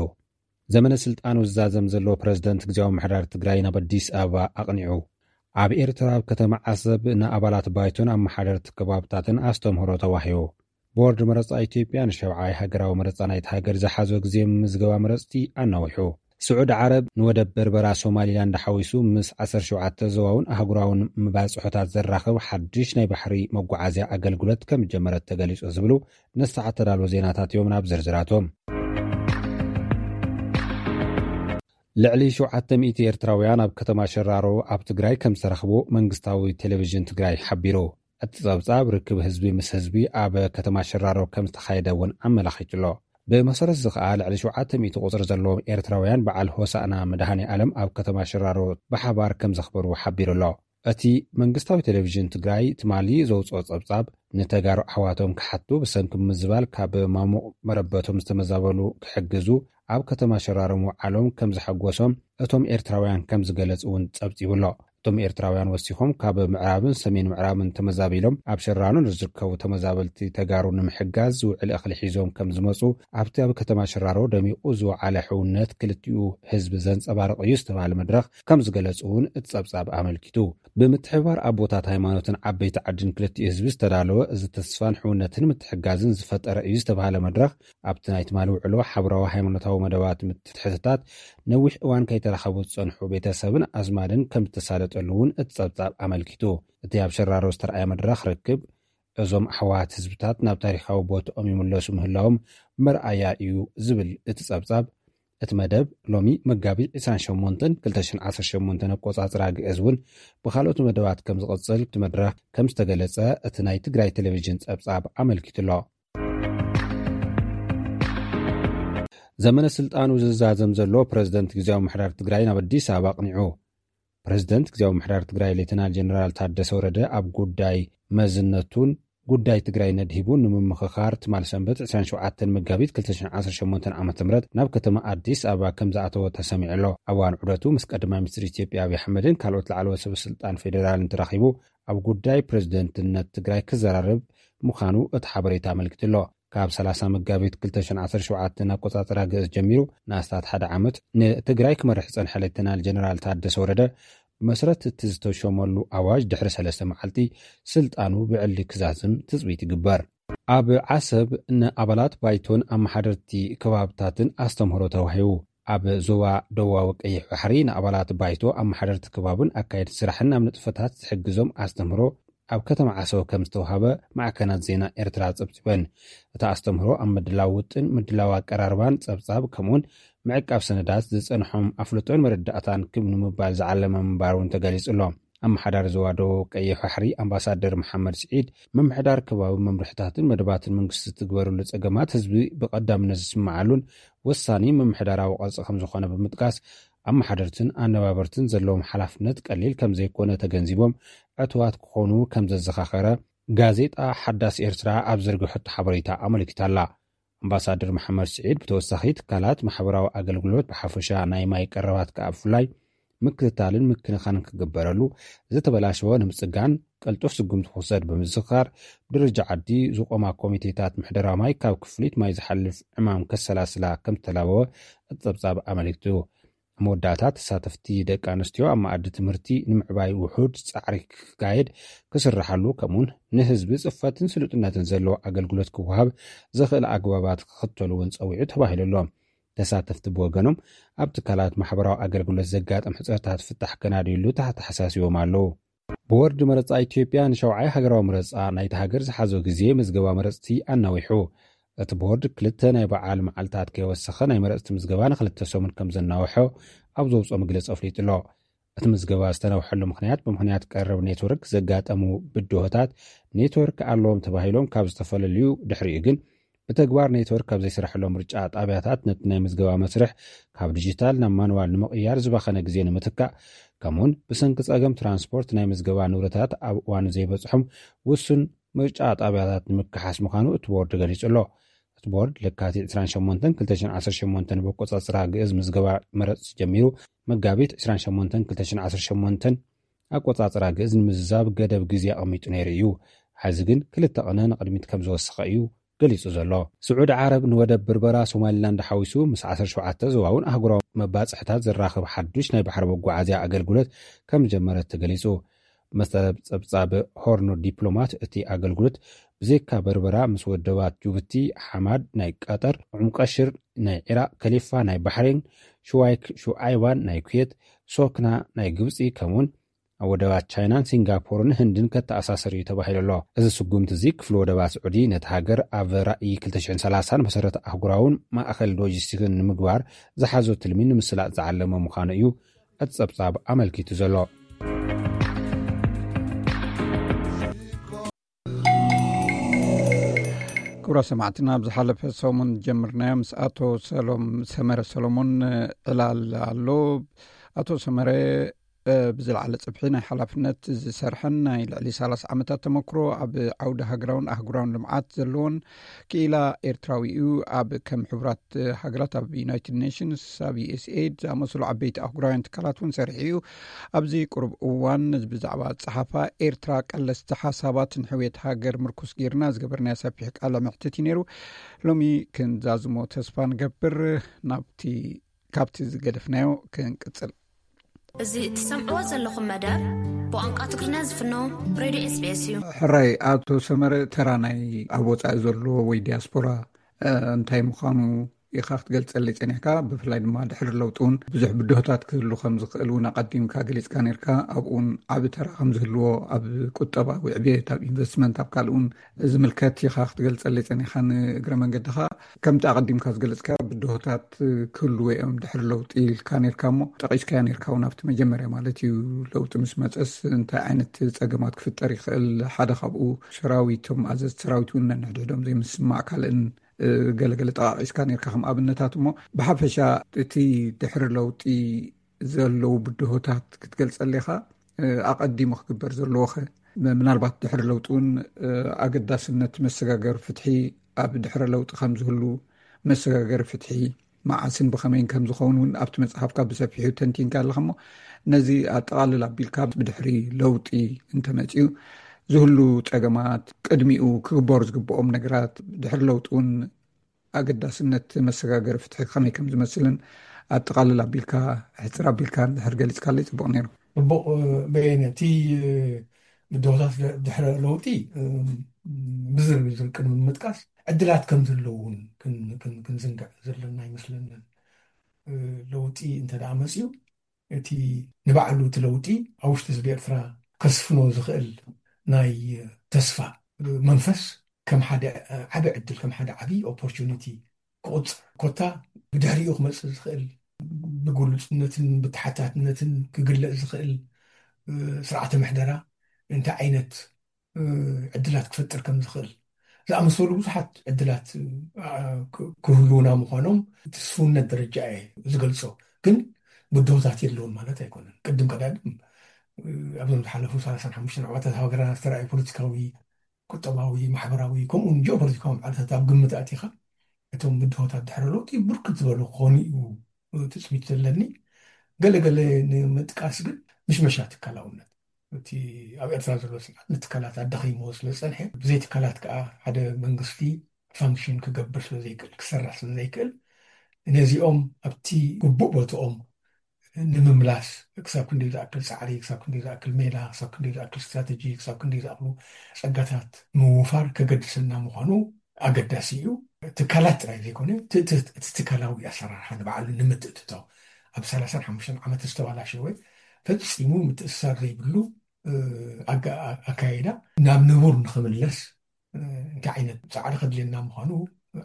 ዘመነ ስልጣኑ ዝዛዘም ዘሎ ፕረዚደንት ግዝያዊ ምሕዳር ትግራይ ናብ ኣዲስ ኣበባ ኣቕኒዑ። ኣብ ኤርትራ ኣብ ከተማ ዓሰብ ንኣባላት ባይቶን ኣመሓደርቲ ከባብታትን ኣስተምህሮ ተዋሂቡ። ቦርድ መረጻ ኢትዮጵያ ንሸብዓይ ሃገራዊ መረጻ ናይቲ ሃገር ዝሓዞ ግዜ ምዝገባ መረጽቲ ኣናዊሑ። ስዑድ ዓረብ ንወደብ በርበራ ሶማሊላንድ ሓዊሱ ምስ ዓሰርተ ሸውዓተ ዞባውን ኣህጉራውን መባጽሖታት ዘራኽብ ሓድሽ ናይ ባሕሪ መጓዓዝያ ኣገልግሎት ከም ጀመረት ተገሊጹ ዝብሉ ንሰዓት ተዳለዉ ዜናታት እዮም። ናብ ዝርዝራቶም። ልዕሊ ሸውዓተ ሚእቲ ኤርትራውያን ኣብ ከተማ ሸራሮ ኣብ ትግራይ ከም ዝተረኽቡ መንግስታዊ ቴሌቪዥን ትግራይ ሓቢሩ። እቲ ጸብጻብ ርክብ ህዝቢ ምስ ህዝቢ ኣብ ከተማ ሸራሮ ከም ዝተኻየደ እውን ኣመላኺቱ ኣሎ። ብመሰረት እዚ ከኣ ልዕሊ ሸውዓተ ሚእቲ ቁጽሪ ዘለዎም ኤርትራውያን በዓል ሆሳእና መድሃኔ ዓለም ኣብ ከተማ ሸራሮ ብሓባር ከም ዘኽበሩ ሓቢሩ ኣሎ። እቲ መንግስታዊ ቴሌቪዥን ትግራይ ትማሊ ዘውፅኦ ጸብጻብ፣ ንተጋሩ ኣሕዋቶም ክሓቱ ብሰንኪ ምዝባል ካብ ማሙቕ መረበቶም ዝተመዛበሉ ክሕግዙ ኣብ ከተማ ሸራሮ ምውዓሎም ከም ዘሐጎሶም እቶም ኤርትራውያን ከም ዝገለጹ እውን ጸብጺቡ ኣሎ። እቶም ኤርትራውያን ወሲኾም፣ ካብ ምዕራብን ሰሜን ምዕራብን ተመዛቢሎም ኣብ ሸራሮ ንዝርከቡ ተመዛበልቲ ተጋሩ ንምሕጋዝ ዝውዕል እኽሊ ሒዞም ከም ዝመጹ፣ ኣብቲ ኣብ ከተማ ሸራሮ ደሚቑ ዝወዓለ ሕውነት ክልቲኡ ህዝቢ ዘንጸባርቕ እዩ ዝተባሃለ መድረኽ ከም ዝገለጹ እውን እቲ ጸብጻብ ኣመልኪቱ። ብምትሕብባር ኣቦታት ሃይማኖትን ዓበይቲ ዓድን ክልቲኡ ህዝቢ ዝተዳለወ፣ እዚ ተስፋን ሕውነትን ምትሕጋዝን ዝፈጠረ እዩ ዝተባሃለ መድረኽ፣ ኣብቲ ናይ ትማሊ ውዕሎ ሓብራዊ ሃይማኖታዊ መደባት ምትሕትታት፣ ነዊሕ እዋን ከይተራኸቡ ዝጸንሑ ቤተሰብን ኣዝማድን ከም ዝተሳለጡ ከምዘለውን እቲ ጸብጻብ ኣመልኪቱ። እቲ ኣብ ሸራሮ ዝተረኣየ መድረኽ ርክብ እዞም ኣሕዋት ህዝብታት ናብ ታሪኻዊ ቦትኦም ይምለሱ ምህላዎም መርኣያ እዩ ዝብል እቲ ጸብጻብ፣ እቲ መደብ ሎሚ መጋቢት ዕስራን ሸሞንተን ክልተ ሽሕን ዓሰርተ ሸሞንተን ኣቆጻጽራ ግእዝ እውን ብኻልኦት መደባት ከም ዝቕጽል እቲ መድረኽ ከም ዝተገለጸ እቲ ናይ ትግራይ ቴሌቪዥን ጸብጻብ ኣመልኪቱ ኣሎ። ዘመነ ስልጣኑ ዝዛዘም ዘሎ ፕረዚደንት ግዝያዊ ምሕዳር ትግራይ ናብ ኣዲስ ኣበባ ኣቕኒዑ። ፕረዚደንት ግዝያዊ ምሕዳር ትግራይ ሌተናል ጀነራል ታደሰ ወረደ ኣብ ጉዳይ መዝነቱን ጉዳይ ትግራይ ነድሂቡ ንምምኽኻር ትማል ሰንበት ዕስራን ሸውዓተን መጋቢት ክልተ ሽሕን ዓሰርተ ሸሞንተን ዓመተ ምህረት ናብ ከተማ ኣዲስ ኣበባ ከም ዝኣተወ ተሰሚዑ ኣሎ። ኣብ እዋን ዑደቱ ምስ ቀዳማይ ሚኒስትር ኢትዮጵያ ኣብይ ኣሕመድን ካልኦት ላዕለዎት ሰበ ስልጣን ፌዴራልን ተራኺቡ ኣብ ጉዳይ ፕረዚደንትነት ትግራይ ክዘራረብ ምዃኑ እቲ ሓበሬታ ኣመልኪቱ ኣሎ። ካብ ሰላሳ መጋቢት ክልተ ሽሕን ዓሰርተ ሸውዓተን ኣቆጻጽራ ግእዝ ጀሚሩ ንኣስታት ሓደ ዓመት ንትግራይ ክመርሕ ዝጸንሐ ሌተናል ጀነራል ታደሰ ወረደ ብመሰረት እቲ ዝተሾመሉ ኣዋጅ ድሕሪ ሰለስተ መዓልቲ ስልጣኑ ብዕሊ ክዛዝም ትጽቢት ይግበር። ኣብ ዓሰብ ንኣባላት ባይቶን ኣመሓደርቲ ከባብታትን ኣስተምህሮ ተዋሂቡ። ኣብ ዞባ ደቡባዊ ቀይሕ ባሕሪ ንኣባላት ባይቶ ኣመሓደርቲ ከባብን ኣካየድቲ ስራሕን ናብ ንጥፈታት ዝሕግዞም ኣስተምህሮ ኣብ ከተማ ዓሰብ ከም ዝተዋሃበ ማዕከናት ዜና ኤርትራ ጸብጺበን። እቲ ኣስተምህሮ ኣብ ምድላው ውጥን፣ ምድላው ኣቀራርባን ጸብጻብ፣ ከምኡውን ምዕቃብ ሰነዳት ዝጸንሖም ኣፍልጦን መረዳእታን ክብ ንምባል ዝዓለመ ምንባሩ እውን ተገሊጹ ኣሎ። ኣመሓዳሪ ዞባ ደቡብ ቀይሕ ባሕሪ ኣምባሳደር መሓመድ ስዒድ፣ ምምሕዳር ከባቢ መምርሕታትን መደባትን መንግስቲ ዝትግበርሉ ጸገማት ህዝቢ ብቐዳምነት ዝስምዓሉን ወሳኒ ምምሕዳራዊ ቅርጺ ከም ዝኾነ ብምጥቃስ፣ ኣመሓደርትን ኣነባበርትን ዘለዎም ሓላፍነት ቀሊል ከም ዘይኮነ ተገንዚቦም ዕቱባት ክኾኑ ከም ዘዘኻኸረ ጋዜጣ ሓዳስ ኤርትራ ኣብ ዘርግሐቶ ሓበሬታ ኣመልኪታ ኣላ። ኣምባሳደር መሓመድ ስዒድ ብተወሳኺ ትካላት ማሕበራዊ ኣገልግሎት ብሓፈሻ ናይ ማይ ቀረባት ከኣ ብፍላይ ምክትታልን ምክንኻንን ክግበረሉ፣ ዝተበላሸወ ንምጽጋን ቅልጡፍ ስጉምቲ ክውሰድ ብምዝኽኻር፣ ብደረጃ ዓዲ ዝቖማ ኮሚቴታት ምሕደራ ማይ ካብ ክፍሊት ማይ ዝሓልፍ ዕማም ከሰላስላ ከም ዝተላበወ እቲ ጸብጻብ ኣመልኪቱ። ኣብ መወዳእታ ተሳተፍቲ ደቂ ኣንስትዮ ኣብ መኣዲ ትምህርቲ ንምዕባይ ውሑድ ጻዕሪ ክካየድ ክስርሓሉ፣ ከምኡውን ንህዝቢ ጽፈትን ስሉጥነትን ዘለዎ ኣገልግሎት ክወሃብ ዘኽእል ኣግባባት ክኽተሉ እውን ጸዊዑ ተባሂሉ ኣሎ። ተሳተፍቲ ብወገኖም ኣብ ትካላት ማሕበራዊ ኣገልግሎት ዘጋጠም ሕጽረታት ፍታሕ ከናድዩሉ ተሓሳሲቦም ኣለዉ። ቦርድ መረጻ ኢትዮጵያ ንሸውዓይ ሃገራዊ መረጻ ናይቲ ሃገር ዝሓዞ ግዜ ምዝገባ መረጽቲ ኣናዊሑ። እቲ ቦርድ ክልተ ናይ በዓል መዓልታት ከይወሰኸ ናይ መረጽቲ ምዝገባ ንክልተ ሰሙን ከም ዘናውሖ ኣብ ዘውፅኦ መግለጺ ኣፍሊጡ ኣሎ። እቲ ምዝገባ ዝተናውሐሉ ምኽንያት ብምኽንያት ቀረብ ኔትወርክ ዘጋጠሙ ብድሆታት ኔትወርክ ኣለዎም ተባሂሎም ካብ ዝተፈለልዩ ድሕሪኡ ግን ብተግባር ኔትወርክ ካብ ዘይስርሐሎም ምርጫ ጣብያታት ነቲ ናይ ምዝገባ መስርሕ ካብ ዲጂታል ናብ ማንዋል ንምቕያር ዝባኸነ ግዜ ንምትካእ ከምኡውን ብሰንኪ ጸገም ትራንስፖርት ናይ ምዝገባ ንብረታት ኣብ እዋኑ ዘይበጽሖም ውሱን ምርጫ ጣብያታት ንምክሓስ ምዃኑ እቲ ቦርድ ገሊጹ ኣሎ። እቲ ቦርድ ለካቲት ዕስራን ሸሞንተን ክልተ ሽሕን ዓሰርተ ሸሞንተን ብኣቆጻጽራ ግእዝ ምዝገባ መረጽቲ ጀሚሩ መጋቢት ዕስራን ሸሞንተን ክልተ ሽሕን ዓሰርተ ሸሞንተን ኣቆጻጽራ ግእዝ ንምዝዛብ ገደብ ግዜ ኣቐሚጡ ነይሩ እዩ። ሕዚ ግን ክልተ ቅነ ንቕድሚት ከም ዝወሰኸ እዩ ገሊጹ ዘሎ። ስዑዲ ዓረብ ንወደብ በርበራ ሶማሊላንድ ሓዊሱ ምስ ዓሰርተ ሸውዓተ ዞባውን ኣህጉራዊ መባጽሕታት ዘራኽብ ሓዱሽ ናይ ባሕሪ መጓዓዝያ ኣገልግሎት ከም ዝጀመረት ተገሊጹ። መሰረት ጸብጻብ ሆርኖ ዲፕሎማት እቲ ኣገልግሎት ብዘይካ በርበራ ምስ ወደባት ጅቡቲ፣ ሓማድ ናይ ቀጠር፣ ዑምቀሽር ናይ ዒራቕ፣ ከሊፋ ናይ ባሕሬን፣ ሽዋይክ ሹዓይባን ናይ ኩዌት፣ ሶክና ናይ ግብጺ ከምኡውን ኣብ ወደባት ቻይናን ሲንጋፖርን ህንድን ከተኣሳስር እዩ ተባሂሉ ኣሎ። እዚ ስጉምቲ እዚ ክፍሊ ወደባት ስዑዲ ነቲ ሃገር ኣብ ራእይ ክልተ ሽሕን ሰላሳን መሰረት ኣህጉራውን ማእኸል ሎጂስቲክን ንምግባር ዝሓዞ ትልሚ ንምስላጥ ዝዓለመ ምዃኑ እዩ እቲ ጸብጻብ ኣመልኪቱ ዘሎ። ክቡራ ሰማዕትና ኣብ ዝሓለፈ ሰሙን ጀምርናዮ ምስ ኣቶ ሰሎም ሰመረ ሰሎሞን ዕላል ኣሎ። ኣቶ ሰመረ ብዝለዓለ ጽፍሒ ናይ ሓላፍነት ዝሰርሐን ናይ ልዕሊ ሰላሳ ዓመታት ተመክሮ ኣብ ዓውዲ ሃገራውን ኣህጉራውን ልምዓት ዘለዎን ክኢላ ኤርትራዊ እዩ። ኣብ ከም ሕቡራት ሃገራት፣ ኣብ ዩናይትድ ኔሽንስ፣ ኣብ ዩኤስኤድ ዝኣመሰሉ ዓበይቲ ኣህጉራውያን ትካላት እውን ሰሪሑ እዩ። ኣብዚ ቅሩብ እዋን ብዛዕባ ጸሓፋ ኤርትራ ቀለስቲ ሓሳባትን ሕውየት ሃገር ምርኩስ ጌርና ዝገበርናዮ ሰፊሕ ቃለ መሕትት እዩ ነይሩ። ሎሚ ክንዛዝሞ ተስፋ ንገብር። ናብቲ ካብቲ ዝገደፍናዮ ክንቅጽል። እዚ እትሰምዕዎ ዘለኹም መደብ ብቋንቋ ትግርኛ ዝፍኖ ሬድዮ ኤስቢኤስ እዩ። ሕራይ ኣቶ ሰመረ፣ ተራ ናይ ኣብ ወጻኢ ዘሎ ወይ ዲያስፖራ እንታይ ምዃኑ ኢኻ ክትገልጸለይ ጸኒሕካ። ብፍላይ ድማ ድሕሪ ለውጢ እውን ብዙሕ ብድሆታት ክህሉ ከም ዝኽእል እውን ኣቐዲምካ ገሊጽካ ነርካ። ኣብኡ እውን ዓቢ ተራ ከም ዝህልዎ፣ ኣብ ቁጠባዊ ዕብየት፣ ኣብ ኢንቨስትመንት፣ ኣብ ካልእ እውን ዝምልከት ኢኻ ክትገልጸለይ ጸኒኻ። ንእግረ መንገድኻ፣ ከምቲ ኣቐዲምካ ዝገለጽካ፣ ብድሆታት ክህልዎ እዮም ድሕሪ ለውጢ ኢልካ ነርካ፣ እሞ ጠቒስካያ ነርካ እውን ኣብቲ መጀመርያ ማለት እዩ። ለውጢ ምስ መጸስ እንታይ ዓይነት ጸገማት ክፍጠር ይኽእል? ሓደ ካብኡ ሰራዊት፣ እቶም ኣዘዝቲ ሰራዊት እውን ነንሕድሕዶም ዘይምስማዕ ካልእን፣ እ፣ ገለገለ ጠቓቒስካ ነርካ ከም ኣብነታት። እሞ ብሓፈሻ እቲ ድሕሪ ለውጢ ዘለዉ ብድሆታት ክትገልጸለይ ኢኻ፣ እ፣ ኣቐዲሙ ክግበር ዘለዎኸ? ምናልባት ድሕሪ ለውጢ እውን፣ እ፣ ኣገዳስነት መሰጋገሪ ፍትሒ፣ ኣብ ድሕሪ ለውጢ ከም ዝህሉ፣ መሰጋገሪ ፍትሒ መዓስን ብኸመይን ከም ዝኸውን እውን ኣብቲ መጽሓፍካ ብሰፊሑ ተንቲንካ ኣለኻ። እሞ ነዚ ኣጠቓልል ኣቢልካ፣ ብድሕሪ ለውጢ እንተመጺኡ ዝህሉ ጸገማት፣ ቅድሚኡ ክግበሩ ዝግብኦም ነገራት፣ ድሕሪ ለውጢ እውን ኣገዳስነት መሰጋገሪ ፍትሒ ከመይ ከም ዝመስልን ኣጠቓልል ኣቢልካ፣ ሕጽር ኣቢልካ እንድሕር ገሊጽካለይ ጽቡቕ ነይሩ። ጽቡቕ፣ እ፣ በየነ፣ እቲ፣ እ፣ ብድሆታት ድ-፣ ድሕረ ለውጢ፣ እ፣ ብዝርዝር ቅድሚ ምጥቃስ፣ ዕድላት ከም ዘለዉ እውን ክን-፣ ክን-፣ ክንዝንግዕ ዘለና ኣይመስለንን። እ፣ ለውጢ እንተ ደኣ መጺኡ፣ እቲ ንባዕሉ እቲ ለውጢ ኣብ ውሽጢ ህዝቢ ኤርትራ ከስፍኖ ዝኽእል ናይ ተስፋ መንፈስ ከም ሓደ ዓቢ ዕድል፣ ከም ሓደ ዓቢ ኦፖርቹኒቲ ክቑጽር፣ ኮታ ብድሕሪኡ ክመጽእ ዝኽእል፣ ብግሉጽነትን ብተሓታትነትን ክግለጽ ዝኽእል፣ እ፣ ስርዓተ ምሕደራ እንታይ ዓይነት እ፣ ዕድላት ክፈጥር ከም ዝኽእል ዝኣመሰሉ ብዙሓት ዕድላት፣ እ፣ ክ-፣ ክህልዉና ምዃኖም እቲ ስፍውነት ደረጃ እየ ዝገልጾ። ግን ብድሆታት የለውን ማለት ኣይኮነን። ቅድም ቀዳድም፣ እ፣ ኣብዞም ዝሓለፉ ሰላሳን ሓሙሽተን ዓመታት ሃገርና ዝተራእዩ ፖለቲካዊ፣ ቁጠባዊ፣ ማሕበራዊ፣ ከምኡውን ጂኦፖለቲካዊ ማዕልታት ኣብ ግምት ኣእቲኻ፣ እቶም ብድሆታት ድሕሪ ለውጢ ብርክት ዝበሉ ክኾኑ እዩ ትጽቢት ዘለኒ። ገለገለ ንምጥቃስ ግን፣ ምሽመሻ ትካላውነት፣ እቲ ኣብ ኤርትራ ዘሎ ስርዓት ንትካላት ኣዳኺምዎ ስለ ዝጸንሐ፣ ብዘይ ትካላት ከኣ ሓደ መንግስቲ ፋንክሽን ክገብር ስለ ዘይክእል፣ ክሰርሕ ስለ ዘይክእል፣ ነዚኦም ኣብቲ ግቡእ ቦትኦም ንምምላስ ክሳብ ክንደይ ዝኣክል ጻዕሪ፣ ክሳብ ክንደይ ዝኣክል ሜላ፣ ክሳብ ክንደይ ዝኣክል ስትራተጂ፣ ክሳብ ክንደይ ዝኣክሉ ጸጋታት ምውፋር ከገድሰና ምዃኑ ኣገዳሲ እዩ። ትካላት ጥራይ ዘይኮነ፣ እቲ፣ እቲ፣ እቲ ትካላዊ ኣሰራርሓ ንባዕሉ ንምትእትታው፣ ኣብ ሰላሳን ሓሙሽተን ዓመት ዝተባላሸወ፣ ፈጺሙ ምትእስሳር ዘይብሉ፣ እ፣ ኣጋ-፣ ኣካይዳ ናብ ንቡር ንኽምለስ፣ እ፣ እንታይ ዓይነት ጻዕሪ ከድልየና ምዃኑ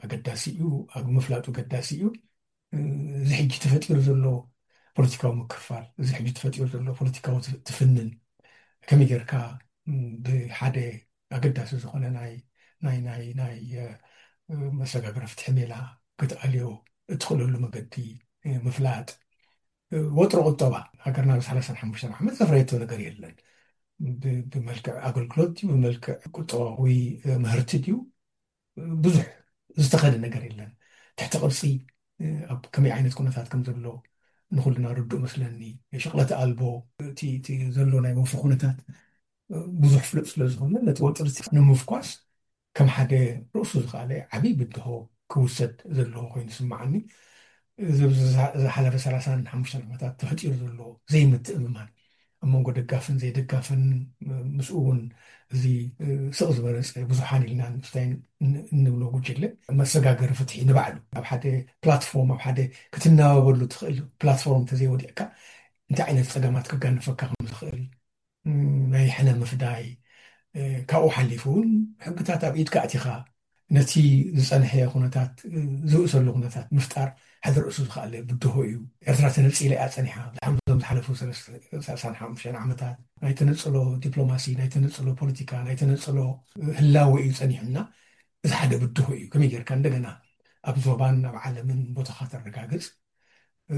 ኣገዳሲ እዩ፣ ኣብ ምፍላጡ ኣገዳሲ እዩ። እ፣ እዚ ሕጂ ተፈጢሩ ዘሎ ፖለቲካዊ ምክፍፋል፣ እዚ ሕጂ ተፈጢሩ ዘሎ ፖለቲካዊ ት-፣ ትፍንን ከመይ ጌርካ፣ ም፣ ብሓደ ኣገዳሲ ዝኾነ ናይ፣ ናይ፣ ናይ፣ ናይ፣ እ፣ መሰጋገሪ ፍትሒ ሜላ ክትኣልዮ እትኽእለሉ መገዲ፣ እ፣ ምፍላጥ። እ፣ ወጥሪ ቁጠባ ሃገርና ብ ሰላሳን ሓሙሽተን ዓመት ዘፍረየቶ ነገር የለን። ብ-፣ ብመልክዕ ኣገልግሎት ድዩ፣ ብመልክዕ ቁጠባዊ፣ እ፣ ምህርቲ ድዩ፣ ብዙሕ ዝተኸደ ነገር የለን። ትሕቲ ቅርጺ፣ እ፣ ኣብ ከመይ ዓይነት ኩነታት ከም ዘሎ ንኹልና ርዱእ መስለኒ። ሽቕለት ኣልቦ፣ እቲ፣ እቲ ዘሎ ናይ ወፍሪ ኩነታት፣ እ፣ ብዙሕ ፍሉጥ ስለ ዝኾነ፣ ነቲ ወጥሪ እቲ ንምፍኳስ ከም ሓደ ርእሱ ዝኸኣለ ዓብዪ ብድሆ ክውሰድ ዘለዎ ኮይኑ ይስምዓኒ። እዚ ኣብዚ ዝሓ-፣ ዝሓለፈ ሰላሳን ሓሙሽተን ዓመታት ተፈጢሩ ዘሎ ዘይምትእምማን፣ ኣብ መንጎ ደጋፍን ዘይደጋፍን፣ ምስኡ እውን እዚ፣ እ፣ ስቕ ዝበለ ጸ-፣ ብዙሓን ኢልና ንስታይ ን-፣ እንብሎ ጉጅለ፣ መሰጋገሪ ፍትሒ ንባዕሉ ኣብ ሓደ ፕላትፎርም፣ ኣብ ሓደ ክትናበበሉ ትኽእል ፕላትፎርም እንተዘይወዲቕካ፣ እንታይ ዓይነት ጸገማት ክጋንፈካ ከም ዝኽእል፣ ም፣ ናይ ሕነ ምፍዳይ፣ እ፣ ካብኡ ሓሊፉ እውን ሕግታት ኣብ ኢድካ ኣእቲኻ ነቲ ዝጸንሐ ኩነታት፣ እ፣ ዝብእሰሉ ኩነታት ምፍጣር ሓደ ርእሱ ዝኸኣለ ብድሆ እዩ። ኤርትራ ተነጺላ እያ ጸኒሓ። ድሓር እዞም ዝሓለፉ ሰለስተ፣ ሰላሳን ሓሙሽተን ዓመታት ናይ ተነጽሎ ዲፕሎማሲ፣ ናይ ተነጽሎ ፖለቲካ፣ ናይ ተነጽሎ፣ እ፣ ህላወ እዩ ጸኒሑና። እዚ ሓደ ብድሆ እዩ። ከመይ ጌርካ እንደገና ኣብ ዞባን ኣብ ዓለምን ቦታኻ ተረጋግጽ? እ፣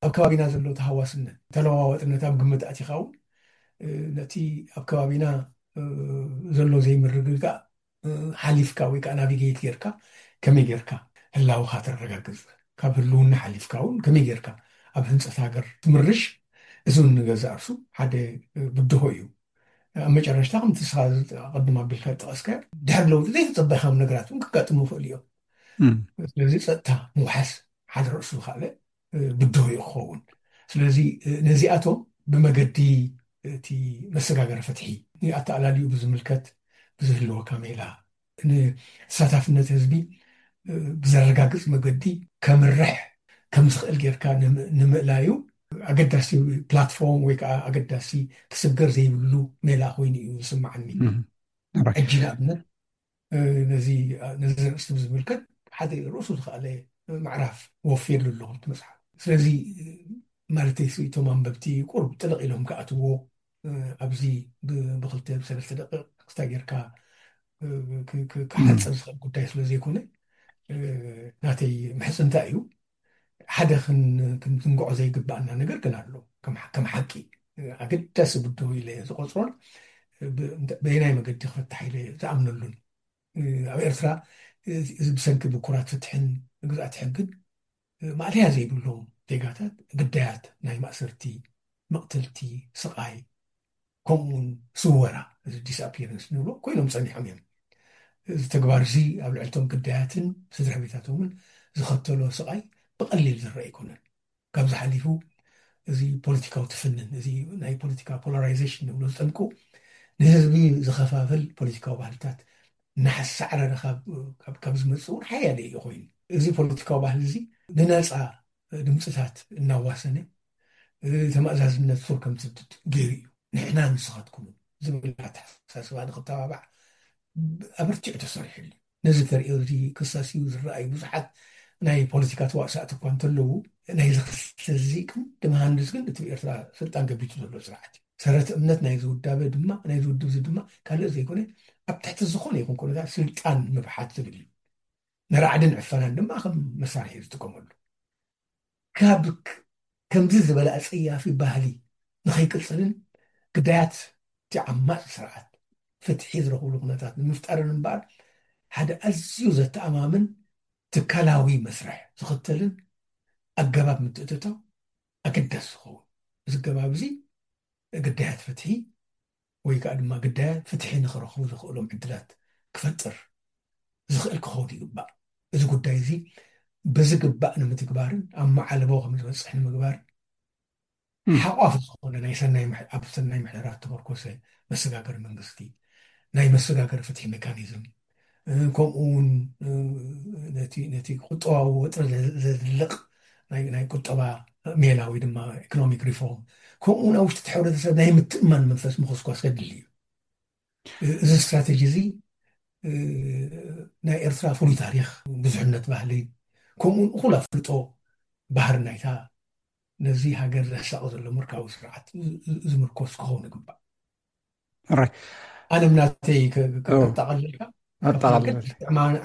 ኣብ ከባቢና ዘሎ ተሃዋስነት፣ ተለዋዋጥነት ኣብ ግምት ኣቲኻ እውን፣ እ፣ ነቲ ኣብ ከባቢና፣ እ፣ ዘሎ ዘይምርግጋእ፣ እ፣ ሓሊፍካ ወይ ከኣ ናቪጌት ጌርካ ከመይ ጌርካ ህላውኻ ተረጋግጽ? ካብ ህልውና ሓሊፍካ እውን ከመይ ጌርካ ኣብ ህንጸት ሃገር ትምርሽ? እዚ እውን ንገዛእ ርእሱ ሓደ፣ እ፣ ብድሆ እዩ። ኣብ መጨረሽታ ከምቲ ንስኻ ኣቐድም ኣቢልካ ዝጠቐስካዮ፣ ድሕሪ ለውጢ ዘይተጸበኻዮም ነገራት እውን ከጋጥሙ ይኽእሉ እዮም። እም። ስለዚ ጸጥታ ምውሓስ ሓደ ርእሱ ዝኸኣለ፣ እ፣ ብድሆ እዩ ክኸውን። ስለዚ፣ እ፣ ነዚኣቶም ብመገዲ እቲ መሰጋገሪ ፍትሒ፣ ንኣተኣላልዩ ብዝምልከት ብዝህልወካ ሜላ፣ ንተሳታፍነት ህዝቢ፣ እ፣ ብዘረጋግጽ መገዲ ከምርሕ ከም ዝኽእል ጌርካ ንምእላዩ ኣገዳሲ ፕላትፎርም ወይ ከዓ ኣገዳሲ ክስገር ዘይብሉ ሜላ ኮይኑ እዩ ዝስማዓኒ። ሕጂ ንኣብነት ነዚ ነዚ ርእስቲ ብዝምልከት ሓደ ርእሱ ዝኸኣለ ምዕራፍ ወፊርሉ ኣለኹ እቲ መፅሓፍ። ስለዚ ማለተይ እቶም ኣንበብቲ ቁሩብ ጥልቕ ኢሎም ክኣትዎ ኣብዚ ብክልተ ብሰለስተ ደቂቕ ክስታ ጌርካ ክሓፅር ዝኽእል ጉዳይ ስለ ዘይኮነ ናተይ ምሕፅንታ እዩ። ሓደ ክንዝንግዖ ዘይግባኣና ነገር ግን ኣሎ። ከም ሓቂ ኣገዳሲ ብድሆ ኢለ ዝቆፅሮን በየናይ መገዲ ክፈታሕ ኢለ ዝኣምነሉን ኣብ ኤርትራ እዚ ብሰንኪ ብኩራት ፍትሕን ግዝኣት ሕግን ማእለያ ዘይብሎም ዜጋታት ግዳያት ናይ ማእሰርቲ፣ መቕተልቲ፣ ስቓይ ከምኡውን ስወራ፣ እዚ ዲስኣፒረንስ ንብሎ ኮይኖም ጸኒሖም እዮም። እዚ ተግባር እዚ ኣብ ልዕልቶም ግዳያትን ስድራ ቤታቶምን ዝኸተሎ ስቓይ ብቐሊል ዝረአ ኣይኮነን። ካብዚ ሓሊፉ እዚ ፖለቲካዊ ትፍንን እዚ ናይ ፖለቲካ ፖላራይዜሽን ንብሎ ዝጠምቁ ንህዝቢ ዝኸፋፍል ፖለቲካዊ ባህልታት እናሓሳዕረረ ካብ ዝመፅእ እውን ሓያለ እዩ ኮይኑ እዚ ፖለቲካዊ ባህሊ እዚ ንነፃ ድምፅታት እናዋሰነ ተማእዛዝነት ሱር ከም ዝስድድ ገይሩ እዩ። ንሕና ንስኻትኩም ዝብል ኣተሓሳስባ ንክተባባዕ ኣበርቲዑ ተሰሪሕሉ እዩ። ነዚ ተርእዮ እዚ ክሳስዩ ዝረኣዩ ብዙሓት ናይ ፖለቲካ ተዋሳእቲ እኳ እንተለዉ ናይዚ ክልተ እዚ ቅንዲ መሃንድስ ግን እቲ ብኤርትራ ስልጣን ገቢቱ ዘሎ ስርዓት እዩ። ሰረት እምነት ናይዚ ውዳበ ድማ ናይዚ ውድብ እዚ ድማ ካልእ ዘይኮነ ኣብ ትሕቲ ዝኾነ ይኹን ኩነታት ስልጣን ምብሓት ዝብል እዩ። ንራዕድን ዕፈናን ድማ ከም መሳርሒ ዝጥቀመሉ ካብ ከምዚ ዝበለ ኣፀያፊ ባህሊ ንኸይቅፅልን ግዳያት እቲ ዓማፂ ስርዓት ፍትሒ ዝረኽብሉ ኩነታት ንምፍጣርን እምበኣር ሓደ ኣዝዩ ዘተኣማምን ትካላዊ መስርሕ ዝኽተልን ኣገባብ ምትእትታው ኣገዳሲ ዝኸውን። እዚ ኣገባብ እዚ ግዳያት ፍትሒ ወይ ከዓ ድማ ግዳያት ፍትሒ ንኽረኽቡ ዘኽእሎም ዕድላት ክፈጥር ዝኽእል ክኸውን ይግባእ። እዚ ጉዳይ እዚ ብዝግባእ ንምትግባርን ኣብ መዓልቦ ከም ዝበፅሕ ንምግባር ሓቋፊ ዝኾነ ናይ ሰናይ ኣብ ሰናይ ምሕደራ ዝተመርኮሰ መሰጋገሪ መንግስቲ፣ ናይ መሰጋገሪ ፍትሒ ሜካኒዝም፣ ከምኡ እውን ነቲ ቁጠባዊ ወጥሪ ዘድልቕ ናይ ቁጠባ ሜላ ወይ ድማ ኢኮኖሚክ ሪፎርም፣ ከምኡ እውን ኣብ ውሽጢ እቲ ሕብረተሰብ ናይ ምትእማን መንፈስ ምኹስኳስ ከድሊ እዩ። እዚ ስትራተጂ እዚ ናይ ኤርትራ ፍሉይ ታሪኽ፣ ብዙሕነት ባህሊ፣ ከምኡ እውን እኹል ኣፍልጦ ባህሪ ናይታ ነዚ ሃገር ዘሳቒ ዘሎ ምርካዊ ስርዓት ዝምርኮስ ክኸውን ይግባእ። ኣነ ምናተይ ከጠቃልልካ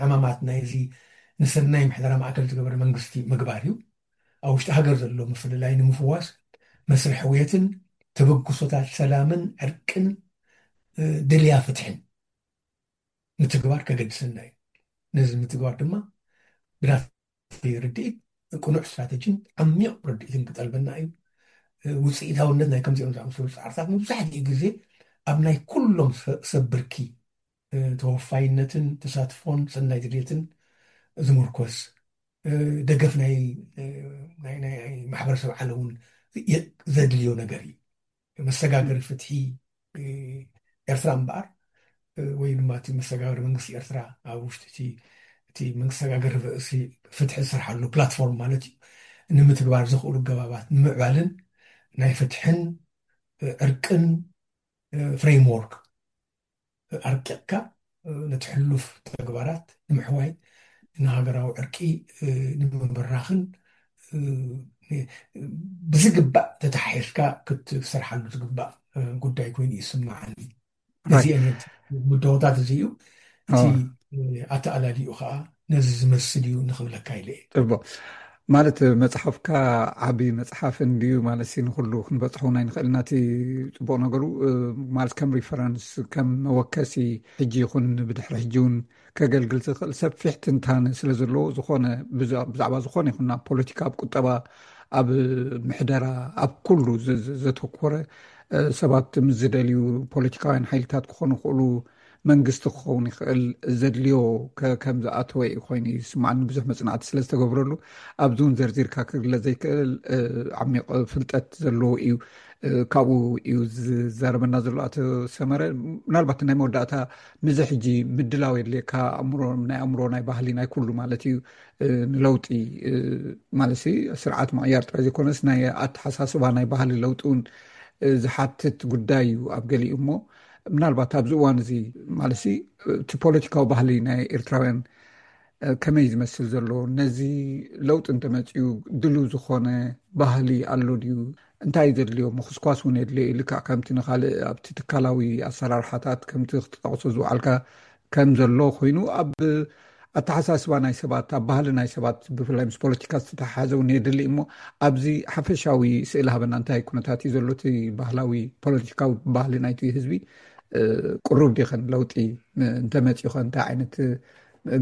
ዕማማት ናይዚ ንሰናይ ምሕደራ ማእከል ዝገበረ መንግስቲ ምግባር እዩ። ኣብ ውሽጢ ሃገር ዘሎ ምፍልላይ ንምፍዋስ መስርሕ ሕውየትን ተበግሶታት ሰላምን ዕርቅን ድልያ ፍትሕን ምትግባር ከገድሰና እዩ። ነዚ ምትግባር ድማ ብናተይ ርድኢት ቅኑዕ ስትራተጂን ዓሚቕ ርድኢትን ክጠልበና እዩ። ውፅኢታውነት ናይ ከምዚኦም ዝኣመሰሉ ፃዕርታት መብዛሕትኡ ግዜ ኣብ ናይ ኩሎም ሰብ ብርኪ ተወፋይነትን ተሳትፎን ሰናይ ድሌትን ዝምርኮስ ደገፍ ናይ ማሕበረሰብ ዓለም እውን ዘድልዮ ነገር እዩ። መሰጋገሪ ፍትሒ ኤርትራ እምበኣር ወይ ድማ እቲ መሰጋገሪ መንግስቲ ኤርትራ ኣብ ውሽጢ እቲ መሰጋገሪ ፍትሒ ዝሰርሓሉ ፕላትፎርም ማለት እዩ ንምትግባር ዘኽእሉ ገባባት ንምዕባልን ናይ ፍትሕን ዕርቅን ፍሬምወርክ ኣርቂቕካ ነቲ ሕሉፍ ተግባራት ንምሕዋይ ንሃገራዊ ዕርቂ ንምብራኽን ብዝግባእ ተተሓሒዝካ ክትሰርሓሉ ዝግባእ ጉዳይ ኮይኑ ይስማዓኒ። እዚአን ምደቦታት እዚ እዩ። እቲ ኣተኣላሊኡ ከዓ ነዚ ዝመስል እዩ ንኽብለካ ኢለ እየ። ጽቡቕ። ማለት መጽሓፍካ ዓቢ መጽሓፍ እንድዩ ማለት ሲ ንኹሉ ክንበጽሖ ናይ ንኽእል ናቲ ጽቡቕ ነገሩ ማለት ከም ሪፈረንስ ከም መወከሲ ሕጂ ይኹን ብድሕሪ ሕጂ እውን ከገልግል ዝኽእል ሰፊሕ ትንታነ ስለ ዘለዎ ዝኾነ ብዛዕባ ዝኾነ ይኹን ኣብ ፖለቲካ ኣብ ቁጠባ ኣብ ምሕደራ ኣብ ኩሉ ዘተኮረ ሰባት ምስ ዝደልዩ ፖለቲካውያን ሓይልታት ክኾኑ ይኽእሉ መንግስቲ ክኸውን ይኽእል ዘድልዮ ከም ዝኣተወ እዩ ኮይኑ ይስማዓኒ ብዙሕ መፅናዕቲ ስለ ዝተገብረሉ ኣብዚ እውን ዘርዚርካ ክግለፅ ዘይክእል ዓሚቕ ፍልጠት ዘለዎ እዩ። ካብኡ እዩ ዝዛረበና ዘሎ ኣቶ ሰመረ። ምናልባት ናይ መወዳእታ፣ ንዚ ሕጂ ምድላው የድልየካ፣ ኣእምሮ፣ ናይ ኣእምሮ፣ ናይ ባህሊ፣ ናይ ኩሉ ማለት እዩ፣ ንለውጢ ማለት ስርዓት ምቕያር ጥራይ ዘይኮነስ ናይ ኣተሓሳስባ፣ ናይ ባህሊ ለውጢ እውን ዝሓትት ጉዳይ እዩ ኣብ ገሊኡ። እሞ ምናልባት ኣብዚ እዋን እዚ ማለት እቲ ፖለቲካዊ ባህሊ ናይ ኤርትራውያን ከመይ ዝመስል ዘሎ፣ ነዚ ለውጢ እንተመፅኡ ድሉ ዝኾነ ባህሊ ኣሎ ድዩ? እንታይ ዘድልዮ ምኹስኳስ እውን የድልዮ እዩ። ልክዕ ከምቲ ንኻልእ ኣብቲ ትካላዊ ኣሰራርሓታት ከምቲ ክትጠቕሶ ዝውዓልካ ከም ዘሎ ኮይኑ፣ ኣብ ኣተሓሳስባ ናይ ሰባት፣ ኣብ ባህሊ ናይ ሰባት፣ ብፍላይ ምስ ፖለቲካ ዝተተሓሓዘ እውን የድሊ እሞ፣ ኣብዚ ሓፈሻዊ ስእሊ ሃበና። እንታይ ኩነታት እዩ ዘሎ እቲ ባህላዊ ፖለቲካዊ ባህሊ ናይቲ ህዝቢ? ቅሩብ ዲኸን ለውጢ እንተመፂኡኸ እንታይ ዓይነት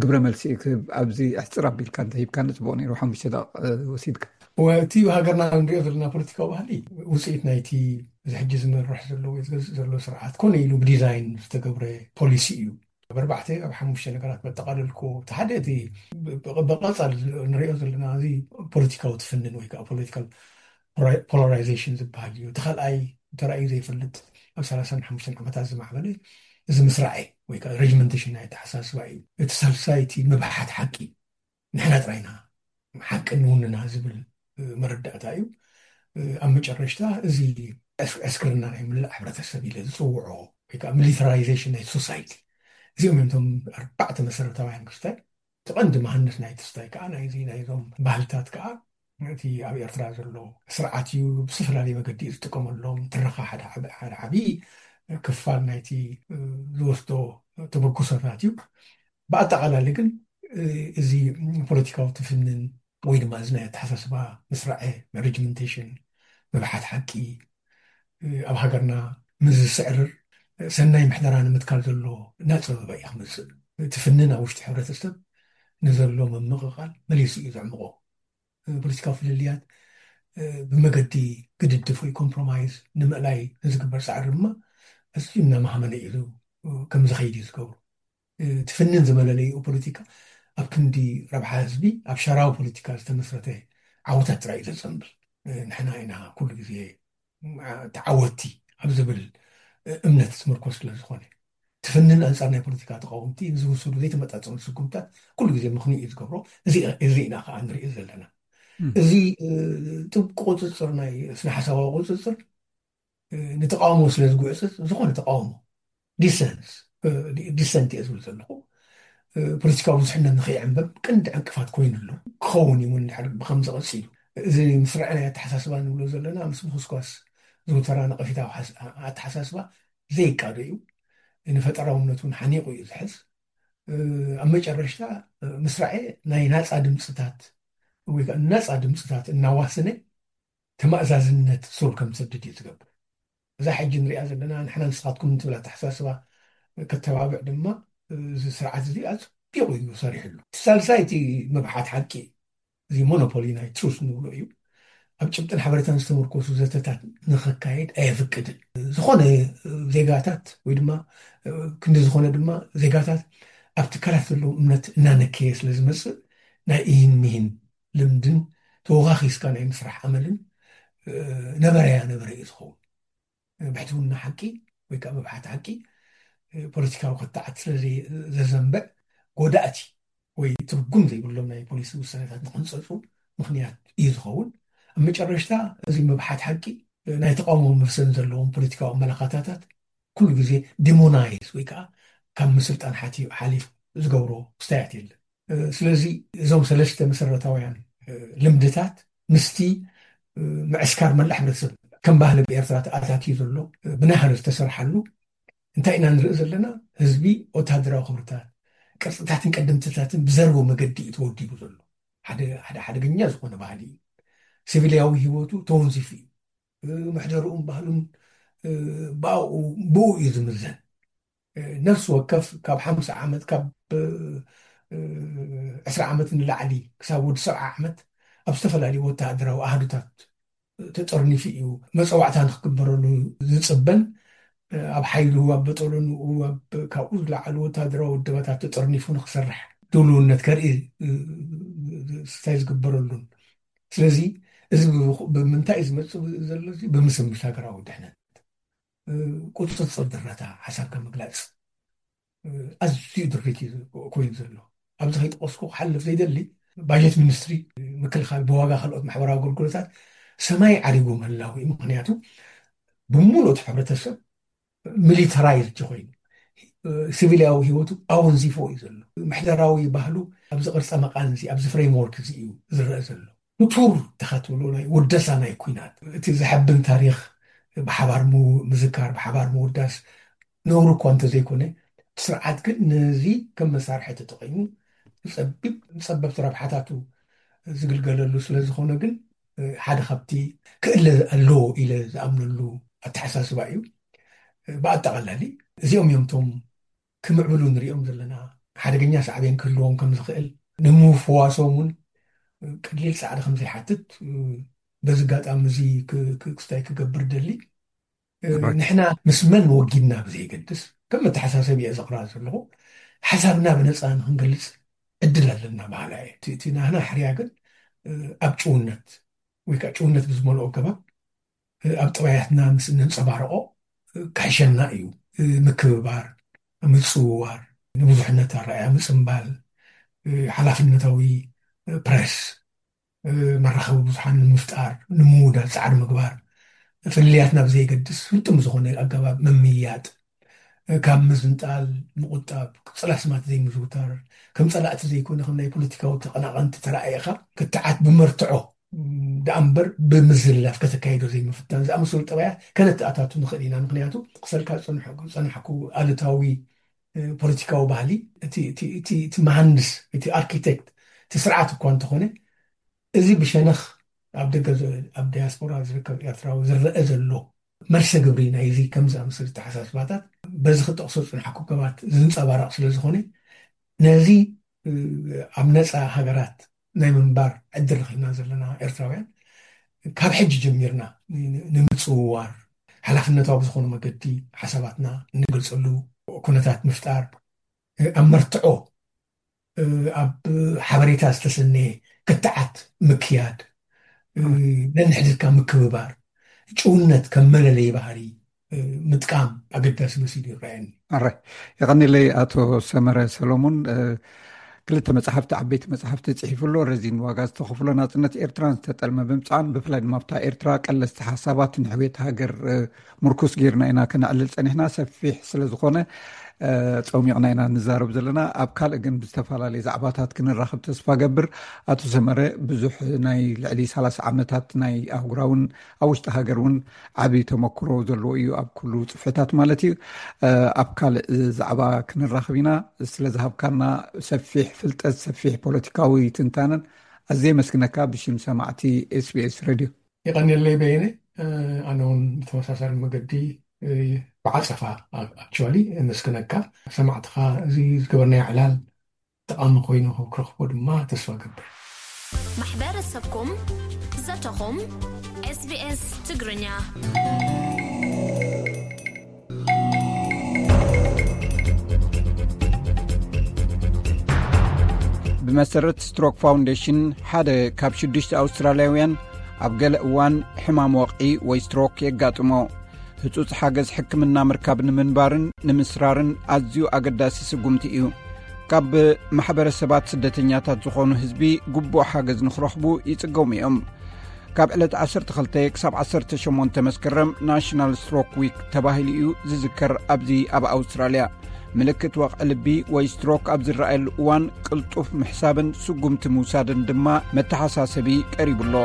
ግብረ መልሲ ክህብ? ኣብዚ ኣሕፅር ኣቢልካ እንተሂብካ ንፅቡቅ ነይሩ። ሓሙሽተ ደቂቅ ወሲድካ። እቲ ሃገርና ንሪኦ ዘለና ፖለቲካዊ ባህሊ ውፅኢት ናይቲ እዚ ሕጂ ዝመርሕ ዘሎ ወይ ዝገዝእ ዘሎ ስርዓት ኮነ ኢሉ ብዲዛይን ዝተገብረ ፖሊሲ እዩ። ኣብ ኣርባዕተ ኣብ ሓሙሽተ ነገራት መጠቃለልኩ። እቲ ሓደ እቲ ብቐፃል ንሪኦ ዘለና እዚ ፖለቲካዊ ትፍንን ወይ ከዓ ፖለቲካል ፖላራይዜሽን ዝበሃል እዩ። እቲ ካልኣይ ተራእዩ ዘይፈልጥ ኣብ ሰላሳን ሓሙሽተን ዓመታት ዝማዕበለ እዚ ምስራዐ ወይ ከዓ ሬጅመንቴሽን ናይ ኣተሓሳስባ እዩ። እቲ ሳልሳይ እቲ ምብሓት ሓቂ፣ ንሕና ጥራይና ሓቂ ንውንና ዝብል መረዳእታ እዩ። ኣብ መጨረሽታ እዚ ዕስክርና ናይ ምላእ ሕብረተሰብ ኢለ ዝፅውዖ ወይ ከዓ ሚሊታራይዜሽን ናይ ሶሳይቲ፣ እዚኦም እዮም እቶም ኣርባዕተ መሰረታውያን ክስታይ። እቲ ቀንዲ መሃንድስ ናይ ትስታይ ከዓ ናይዚ ናይዞም ባህልታት ከዓ እቲ ኣብ ኤርትራ ዘሎ ስርዓት እዩ። ብዝተፈላለየ መገዲ እዩ ዝጥቀመሎም። ትረኻ ሓደ ዓቢ ክፋል ናይቲ ዝወስዶ ተበግሶታት እዩ። ብኣጠቓላሊ ግን እዚ ፖለቲካዊ ትፍንን ወይ ድማ እዚ ናይ ኣተሓሳስባ ምስራዐ፣ ሬጅመንቴሽን፣ ምብሓት ሓቂ፣ ኣብ ሃገርና ምስ ዝስዕርር ሰናይ ምሕደራ ንምትካል ዘሎ እናፀበበ እዩ ክመፅእ። ትፍንን ኣብ ውሽጢ ሕብረተሰብ ንዘሎ ምምቕቓል መሊሱ እዩ ዘዕምቆ። ፖለቲካዊ ፍልልያት ብመገዲ ግድድፍ ወይ ኮምፕሮማይዝ ንምእላይ ንዝግበር ፃዕሪ ድማ ኣዝዩ እናመሃመነ እዩ ከም ዝኸይድ እዩ ዝገብሩ። ትፍንን ዝመለለይኡ ፖለቲካ ኣብ ክንዲ ረብሓ ህዝቢ ኣብ ሸራዊ ፖለቲካ ዝተመስረተ ዓወታት ጥራይ እዩ ዘፀንብል። ንሕና ኢና ኩሉ ግዜ ተዓወትቲ ኣብ ዝብል እምነት ዝምርኮስ ስለ ዝኾነ፣ ትፍንን ኣንጻር ናይ ፖለቲካ ተቃወምቲ ዝውሰዱ ዘይተመጣጠኑ ስጉምታት ኩሉ ግዜ ምኽንዩ እዩ ዝገብሮ። እዚ ኢና ከዓ ንሪኦ ዘለና። እዚ ጥብቂ ቁፅፅር፣ ናይ ስነ ሓሳባዊ ቁፅፅር ንተቃውሞ ስለ ዝጉዕፅፅ፣ ዝኾነ ተቃውሞ ዲሰንስ ዲሰንት እየ ዝብል ዘለኹ፣ ፖለቲካዊ ብዙሕነት ንኸይዕንበብ ቀንዲ ዕንቅፋት ኮይኑ ኣሎ። ክኸውን እዩ እውን ድሕሪ ብከምዚ ቀፂሉ። እዚ ምስራዕ ናይ ኣተሓሳስባ ንብሎ ዘለና ምስ ምኹስኳስ ዝውተራ ነቐፊታዊ ኣተሓሳስባ ዘይቃዶ እዩ። ንፈጠራውነት እውን ሓኒቑ እዩ ዝሕዝ። ኣብ መጨረሽታ ምስራዕ ናይ ናፃ ድምፅታት ወይ ከዓ ናፃ ድምፅታት እናዋሰነ ተማእዛዝነት ሱር ከም ዝሰድድ እዩ ዝገብር። እዛ ሕጂ ንሪኣ ዘለና ንሕና ንስኻትኩም እንትብል ኣተሓሳስባ ከተባብዕ ድማ እዚ ስርዓት እዚ ኣፅቢቑ እዩ ሰሪሕሉ። እቲ ሳልሳይ እቲ ምብሓት ሓቂ፣ እዚ ሞኖፖሊ ናይ ትሩስ ንብሎ እዩ። ኣብ ጭብጥን ሓበሬታን ዝተመርኮሱ ዘተታት ንኸካየድ ኣየፍቅድን። ዝኾነ ዜጋታት ወይ ድማ ክንዲ ዝኾነ ድማ ዜጋታት ኣብ ትካላት ዘለዎም እምነት እናነከየ ስለ ዝመፅእ ናይ ኢሂን ሚሂን ልምድን ተወኻኺስካ ናይ ምስራሕ ኣመልን ነበረያ ነበረ እዩ ዝኸውን። ብሕትውና ሓቂ ወይ ከዓ ምብሓት ሓቂ ፖለቲካዊ ክትዓት ስለ ዘዘንብዕ ጎዳእቲ ወይ ትርጉም ዘይብሎም ናይ ፖሊሲ ውሳኔታት ንክንፀፁ ምክንያት እዩ ዝኸውን። ኣብ መጨረሽታ እዚ ምብሓት ሓቂ ናይ ተቃውሞ መፍሰን ዘለዎም ፖለቲካዊ ኣመላኻታታት ኩሉ ግዜ ዲሞናይዝ ወይ ከዓ ካብ ምስልጣን ሓቲ ሓሊፍ ዝገብሮ ክስታያት የለን። ስለዚ እዞም ሰለስተ መሰረታውያን ልምድታት ምስቲ ምዕስካር መላእ ሕብረተሰብ ከም ባህሊ ብኤርትራ ተኣታትዩ ዘሎ ብናህሪ ዝተሰርሓሉ እንታይ ኢና ንርኢ ዘለና? ህዝቢ ወታደራዊ ክብርታት፣ ቅርፅታትን ቀደምትታትን ብዘርቦ መገዲ እዩ ተወዲቡ ዘሎ። ሓደ ሓደ ሓደገኛ ዝኾነ ባህሊ እዩ። ሲቪልያዊ ህይወቱ ተወንዚፉ እዩ። ምሕደርኡን ባህሉን ብኣኡ ብኡ እዩ ዝምዘን። ነፍሲ ወከፍ ካብ ሓምሳ ዓመት፣ ካብ ዕስራ ዓመት ንላዕሊ ክሳብ ወዲ ሰብዓ ዓመት ኣብ ዝተፈላለዩ ወተሃደራዊ ኣሃዱታት ተጠርኒፉ እዩ። መፀዋዕታ ንክግበረሉ ዝፅበን ኣብ ሓይሉ ኣብ በጠሎንኡ ኣብ ካብኡ ዝለዓሉ ወተሃደራዊ ውድባታት ተጠርኒፉ ንክሰርሕ ድልውነት ከርኢ ስታይ ዝግበረሉን። ስለዚ እዚ ብምንታይ እዩ ዝመፅእ ዘሎ? እዚ ብምስምስ ሃገራዊ ድሕነት፣ ቁፅፅር ድረታ ሓሳብካ ምግላፅ ኣዝዩ ድርት እዩ ኮይኑ ዘሎ። ኣብዚ ከይጠቀስኩ ክሓልፍ ዘይደሊ፣ ባጀት ሚኒስትሪ፣ ምክልኻል፣ ብዋጋ ካልኦት ማሕበራዊ ኣገልግሎታት ሰማይ ዓሪጉ ምህላው እዩ። ምክንያቱ ብምሉእ እቲ ሕብረተሰብ ሚሊተራይዝድ ኮይኑ፣ ሲቪልያዊ ህይወቱ ኣወንዚፎ እዩ ዘሎ። ምሕደራዊ ባህሉ ኣብዚ ቅርፀ መቃን እዚ፣ ኣብዚ ፍሬምወርክ እዚ እዩ ዝረአ ዘሎ። ክቱር ተኻትብሉ ናይ ውደሳ ናይ ኩናት፣ እቲ ዘሐብን ታሪኽ ብሓባር ምዝካር፣ ብሓባር ምውዳስ ነውሪ እኳ እንተዘይኮነ፣ እቲ ስርዓት ግን ነዚ ከም መሳርሒ ተጠቂሙ ጸቢብ ጸበብቲ ረብሓታቱ ዝግልገለሉ ስለ ዝኾነ ግን ሓደ ካብቲ ክእለ ኣለዎ ኢለ ዝኣምነሉ ኣተሓሳስባ እዩ። ብኣጠቓላሊ እዚኦም እዮም እቶም ክምዕብሉ ንሪኦም ዘለና። ሓደገኛ ሳዕቤን ክህልዎም ከም ዝኽእል ንምፍዋሶም እውን ቀሊል ጻዕሪ ከም ዘይሓትት በዚ ኣጋጣሚ እዚ ክስታይ ክገብር ደሊ። ንሕና ምስ መን ወጊድና ብዘይገድስ ከም መተሓሳሰቢ እየ ዘቕርባ ዘለኹ። ሓሳብና ብነፃ ንክንገልፅ ዕድል ኣለና በሃላ እየ። እቲ ናህና ሕርያ ግን ኣብ ጭውነት ወይ ከዓ ጭውነት ብዝመልኦ ኣገባብ ኣብ ጠባያትና ምስ እነንፀባርቆ ክሕሸና እዩ። ምክብባር፣ ምፅውዋር፣ ንብዙሕነት ኣረኣያ ምፅምባል፣ ሓላፍነታዊ ፕረስ፣ መራኸቢ ብዙሓን ንምፍጣር ንምውዳድ ፃዕሪ ምግባር፣ ፍልልያትና ብዘይገድስ ፍልጥም ዝኾነ ኣገባብ ምምይያጥ፣ ካብ ምዝንጣል ምቁጣብ፣ ቅፅል ኣስማት ዘይምዝውታር፣ ከም ፀላእቲ ዘይኮነ ከም ናይ ፖለቲካዊ ተቐናቐንቲ ተረኣኢኻ ክትዓት ብመርትዖ ደኣ እምበር ብምዝላፍ ከተካይዶ ዘይምፍታን ዝኣመሰሉ ጠባያት ከነተኣታቱ ንኽእል ኢና። ምክንያቱ ክሰልካ ዝፀናሕኩ ኣሉታዊ ፖለቲካዊ ባህሊ እቲ መሃንድስ፣ እቲ ኣርኪቴክት እቲ ስርዓት እኳ እንተኾነ፣ እዚ ብሸነኽ ኣብ ደገ ኣብ ዲያስፖራ ዝርከብ ኤርትራዊ ዝረአ ዘሎ መርሰ ግብሪ ናይዚ ከም ዝኣመሰሉ ኣተሓሳስባታት በዚ ክጠቕሶ ዝፅናሕኩ ገባት ዝንፀባረቕ ስለ ዝኾነ፣ ነዚ ኣብ ነፃ ሃገራት ናይ ምንባር ዕድል ረኺብና ዘለና ኤርትራውያን ካብ ሕጂ ጀሚርና ንምፅውዋር ሓላፍነታዊ ብዝኾነ መገዲ ሓሳባትና እንገልፀሉ ኩነታት ምፍጣር፣ ኣብ መርትዖ ኣብ ሓበሬታ ዝተሰነየ ክትዓት ምክያድ፣ ነንሕድካ ምክብባር፣ ጭውነት ከም መለለይ ባህሪ ምጥቃም ኣገዳሲ መሲሉ ይረኣየኒ። ኣረ፣ የቐኒለይ ኣቶ ሰመረ ሰሎሙን። ክልተ መጽሓፍቲ፣ ዓበይቲ መጽሓፍቲ ጽሒፉ ኣሎ። ረዚን ዋጋ ዝተኸፍሎ ናጽነት ኤርትራን ዝተጠልመ ብምጽዓን፣ ብፍላይ ድማ ኣብታ ኤርትራ ቀለስቲ ሓሳባት ንሕውየት ሃገር ምርኩስ ጌርና ኢና ከነዕልል ጸኒሕና። ሰፊሕ ስለ ዝኾነ ጸሚቕና ኢና ንዛረብ ዘለና። ኣብ ካልእ ግን ብዝተፈላለየ ዛዕባታት ክንራኸብ ተስፋ ገብር። ኣቶ ሰመረ፣ ብዙሕ ናይ ልዕሊ ሰላሳ ዓመታት ናይ ኣህጉራውን ኣብ ውሽጢ ሃገር እውን ዓብዪ ተመክሮ ዘለዎ እዩ፣ ኣብ ኩሉ ጽፍሕታት ማለት እዩ። ኣብ ካልእ ዛዕባ ክንራኸብ ኢና። ስለ ዝሃብካና ሰፊሕ ፍልጠት፣ ሰፊሕ ፖለቲካዊ ትንታነን ኣዝየ የመስግነካ ብሽም ሰማዕቲ ኤስቢኤስ ሬድዮ። የቐንየለይ በየነ። ኣነ እውን ብተመሳሳሊ መገዲ ብዓጸፋ ኣክቹዋሊ የመስግነካ። ሰማዕትኻ እዚ ዝገበርናዮ ዕላል ጠቓሚ ኮይኑ ክረኽቦ ድማ ተስፋ ገብር። ማሕበረሰብኩም፣ ዘተኹም፣ ኤስቢኤስ ትግርኛ። ብመሰረት ስትሮክ ፋውንዴሽን፣ ሓደ ካብ ሽዱሽተ ኣውስትራልያውያን ኣብ ገለ እዋን ሕማም ወቕዒ ወይ ስትሮክ የጋጥሞ። ህጹጽ ሓገዝ ሕክምና ምርካብ ንምንባርን ንምስራርን ኣዝዩ ኣገዳሲ ስጉምቲ እዩ። ካብ ማሕበረሰባት ስደተኛታት ዝኾኑ ህዝቢ ግቡእ ሓገዝ ንኽረኽቡ ይጽገሙ እዮም። ካብ ዕለት ዓሰርተ ክልተ ክሳብ ዓሰርተ ሸሞንተ መስከረም ናሽናል ስትሮክ ዊክ ተባሂሉ እዩ ዝዝከር። ኣብዚ ኣብ ኣውስትራልያ ምልክት ወቕዒ ልቢ ወይ ስትሮክ ኣብ ዝረኣየሉ እዋን ቅልጡፍ ምሕሳብን ስጉምቲ ምውሳድን ድማ መተሓሳሰቢ ቀሪቡ ኣሎ።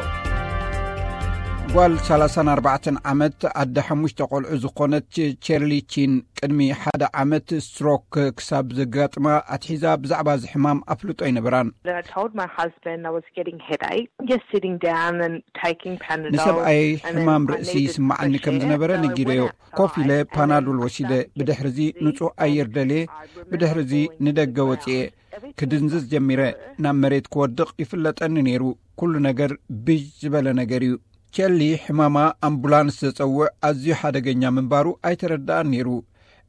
ጓል ሰላሳን ኣርባዕተን ዓመት ኣደ ሓሙሽተ ቆልዑ ዝኾነት ቸርሊ ቺን ቅድሚ ሓደ ዓመት ስትሮክ ክሳብ ዘጋጥማ ኣትሒዛ ብዛዕባ እዚ ሕማም ኣፍልጦ ኣይነበራን። Then I told my husband I was getting headache. Just sitting down and taking Panadol. ንሰብኣይ ሕማም ርእሲ ይስምዓኒ ከም ዝነበረ ነጊረዮ። ኮፍ ኢለ ፓናዶል ወሲደ። ብድሕርዚ ንጹህ ኣየር ደልየ። ብድሕርዚ ንደገ ወጽኤ። ክድንዝዝ ጀሚረ። ናብ መሬት ክወድቕ ይፍለጠኒ ነይሩ። ኩሉ ነገር ብዥ ዝበለ ነገር እዩ። ቸሊ ሕማማ ኣምቡላንስ ዘጸውዕ ኣዝዩ ሓደገኛ ምንባሩ ኣይተረድኣን ነይሩ።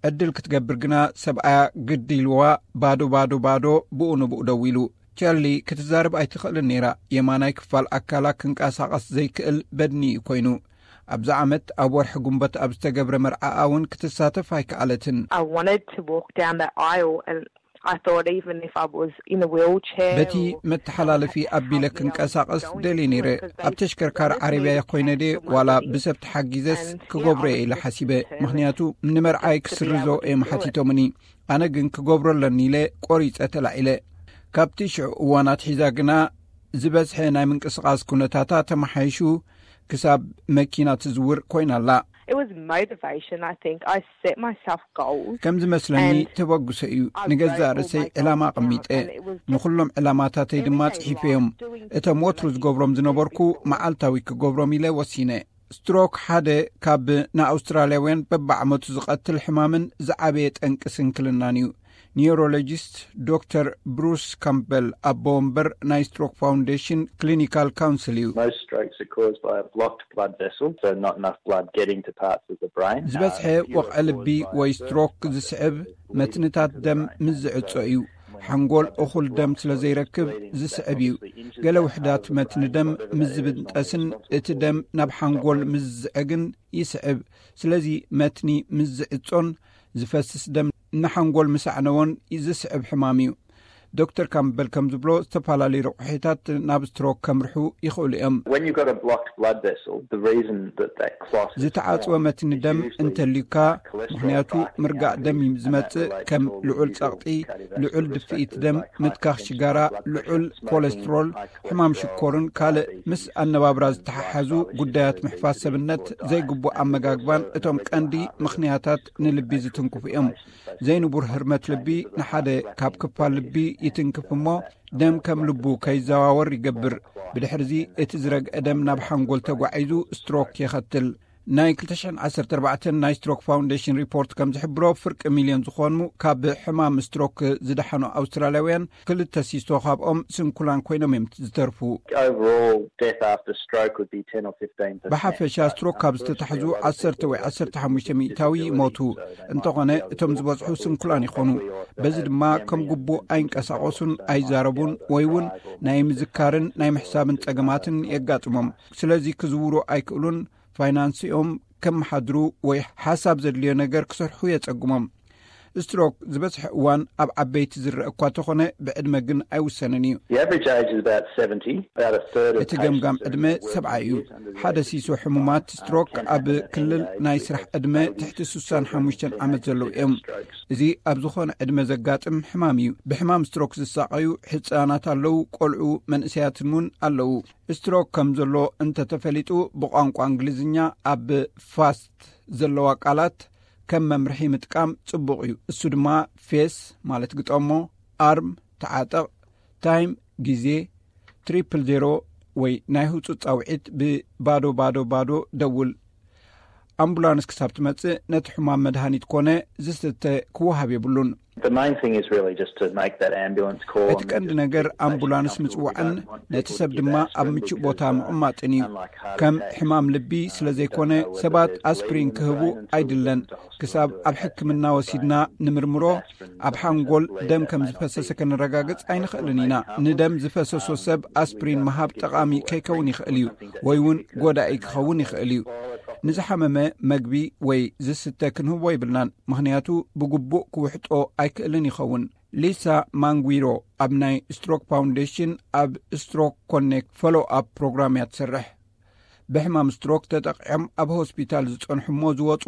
ዕድል ክትገብር ግና ሰብኣያ ግዲ ኢልዋ ባዶ፣ ባዶ፣ ባዶ፣ ብኡ ንብኡ ደዊሉ። ቸርሊ ክትዛረብ ኣይትኽእልን ነይራ። የማናይ ክፋል ኣካላ ክንቀሳቐስ ዘይክእል በድኒ እዩ ኮይኑ። ኣብዚ ዓመት ኣብ ወርሒ ጉንበት ኣብ ዝተገብረ መርዓኣ እውን ክትሳተፍ ኣይከኣለትን። I wanted to walk down that aisle, and I thought, even if I was in a wheelchair, በቲ መተሓላለፊ ኣቢለ ክንቀሳቐስ ደልየ ነይረ። ኣብ ተሽከርካሪ ዓረብያ ኮይነ ድየ ዋላ ብሰብ ተሓጊዘስ ክገብሮ እየ ኢለ ሓሲበ። ምክንያቱ ንመርዓይ ክስርዞ እዮም ሓቲቶምኒ። ኣነ ግን ክገብሮ ኣለኒ ኢለ ቆሪፀ ተላዒለ። ካብቲ ሽዑ እዋን ኣትሒዛ ግና ዝበዝሐ ናይ ምንቅስቓስ ኩነታታ ተመሓይሹ፣ ክሳብ መኪና ትዝውር ኮይና ኣላ። It was motivation, I think. I set myself goals. ከም ዝመስለኒ ተበግሶ እዩ። ንገዛእ ርእሰይ ዕላማ ኣቐሚጠ፣ ንኹሎም ዕላማታተይ ድማ ጽሒፈዮም። እቶም ወትሩ ዝገብሮም ዝነበርኩ መዓልታዊ ክገብሮም ኢለ ወሲነ። ስትሮክ ሓደ ካብ ንኣውስትራልያውያን በብዓመቱ ዝቐትል ሕማምን ዝዓበየ ጠንቂ ስንክልናን እዩ። ኒውሮሎጂስት ዶክተር ብሩስ ካምበል ኣቦ ወንበር ናይ ስትሮክ ፋውንዴሽን ክሊኒካል ካውንስል እዩ። Most strokes are caused by a blocked blood vessel, so not enough blood getting to parts of the brain. ዝበዝሐ ወቕዒ ልቢ ወይ ስትሮክ ዝስዕብ መትንታት ደም ምስ ዝዕጾ እዩ። ሓንጎል እኹል ደም ስለ ዘይረክብ ዝስዕብ እዩ። ገለ ውሕዳት መትኒ ደም ምስ ዝብንጠስን እቲ ደም ናብ ሓንጎል ምስ ዝዝዕግን ይስዕብ። ስለዚ መትኒ ምስ ዝዕጾን ዝፈስስ ደም ንሓንጎል ምስ ኣዕነዎን ዝስዕብ ሕማም እዩ። ዶክተር ካምበል ከም ዝብሎ፣ ዝተፈላለዩ ረቑሒታት ናብ ስትሮክ ከምርሑ ይኽእሉ እዮም። When you've got a blocked blood vessel, the reason that that clot ዝተዓጽወ መትኒ ደም እንተልዩካ፣ ምክንያቱ ምርጋእ ደም እዩ ዝመጽእ። ከም ልዑል ጸቕጢ፣ ልዑል ድፍኢት ደም፣ ምትካኽ ሽጋራ፣ ልዑል ኮለስትሮል፣ ሕማም ሽኮርን ካልእ ምስ ኣነባብራ ዝተሓሓዙ ጉዳያት ምሕፋዝ ሰብነት፣ ዘይግቡእ ኣመጋግባን እቶም ቀንዲ ምኽንያታት ንልቢ ዝትንክፉ እዮም። ዘይንቡር ህርመት ልቢ ንሓደ ካብ ክፋል ልቢ ይትንክፍ እሞ፣ ደም ከም ልቡ ከይዘዋወር ይገብር። ብድሕርዚ እቲ ዝረግአ ደም ናብ ሓንጎል ተጓዒዙ ስትሮክ የኸትል። ናይ ክልተ ሽሕን ዓሰርተ ኣርባዕተን ናይ ስትሮክ ፋውንዴሽን ሪፖርት ከም ዝሕብሮ፣ ፍርቂ ሚልዮን ዝኾኑ ካብ ሕማም ስትሮክ ዝደሓኑ ኣውስትራልያውያን ክልተ ሲሶ ካብኦም ስንኩላን ኮይኖም እዮም ዝተርፉ። Overall, death after stroke would be ten or fifteen percent. ብሓፈሻ ስትሮክ ካብ ዝተታሕዙ ዓሰርተ ወይ ዓሰርተ ሓሙሽተ ሚእታዊ ይሞቱ። እንተኾነ እቶም ዝበዝሑ ስንኩላን ይኾኑ። በዚ ድማ ከም ግቡእ ኣይንቀሳቐሱን ኣይዛረቡን ወይ እውን ናይ ምዝካርን ናይ ምሕሳብን ጸገማትን የጋጥሞም። ስለዚ ክዝውሩ ኣይክእሉን። ፋይናንስኦም ከመሓድሩ ወይ ሓሳብ ዘድልዮ ነገር ክሰርሑ የጸግሞም። ስትሮክ ዝበዝሐ እዋን ኣብ ዓበይቲ ዝረአ እኳ ተኾነ፣ ብዕድመ ግን ኣይውሰንን እዩ። The average age is about seventy. About a third of እቲ ገምጋም ዕድመ ሰብዓ እዩ። ሓደ ሲሶ ሕሙማት ስትሮክ ኣብ ክልል ናይ ስራሕ ዕድመ ትሕቲ ስሳን ሓሙሽተን ዓመት ዘለዉ እዮም። እዚ ኣብ ዝኾነ ዕድመ ዘጋጥም ሕማም እዩ። ብሕማም ስትሮክ ዝሳቐዩ ሕፃናት ኣለዉ፣ ቆልዑ መንእሰያትን እውን ኣለዉ። ስትሮክ ከም ዘሎ እንተተፈሊጡ፣ ብቋንቋ እንግሊዝኛ ኣብ ፋስት ዘለዋ ቃላት ከም መምርሒ ምጥቃም ጽቡቕ እዩ። እሱ ድማ ፌስ ማለት ግጠሞ፣ ኣርም ተዓጠቕ፣ ታይም ግዜ፣ ትሪፕል ዜሮ ወይ ናይ ህጹጽ ጻውዒት ብባዶ ባዶ ባዶ ደውል። ኣምቡላንስ ክሳብ ትመጽእ ነቲ ሕማም መድሃኒት ኮነ ዝስተ ክወሃብ የብሉን። The main thing is really just to make that ambulance call. እቲ ቀንዲ ነገር ኣምቡላንስ ምጽዋዕን ነቲ ሰብ ድማ ኣብ ምቹእ ቦታ ምቕማጥን እዩ። ከም ሕማም ልቢ ስለ ዘይኮነ ሰባት ኣስፕሪን ክህቡ ኣይድለን። ክሳብ ኣብ ሕክምና ወሲድና ንምርምሮ፣ ኣብ ሓንጎል ደም ከም ዝፈሰሰ ከነረጋግጽ ኣይንኽእልን ኢና። ንደም ዝፈሰሶ ሰብ ኣስፕሪን ምሃብ ጠቓሚ ከይከውን ይኽእል እዩ፣ ወይ እውን ጎዳኢ ክኸውን ይኽእል እዩ። ንዝሓመመ መግቢ ወይ ዝስተ ክንህቦ ይብልናን፣ ምኽንያቱ ብግቡእ ክውሕጦ ኣይክእልን ይኸውን። ሊሳ ማንጉዊሮ ኣብ ናይ ስትሮክ ፋውንዴሽን ኣብ ስትሮክ ኮኔክት ፎሎ ኣፕ ፕሮግራም እያ ትሰርሕ። ብሕማም ስትሮክ ተጠቒዖም ኣብ ሆስፒታል ዝጸንሑ እሞ ዝወጹ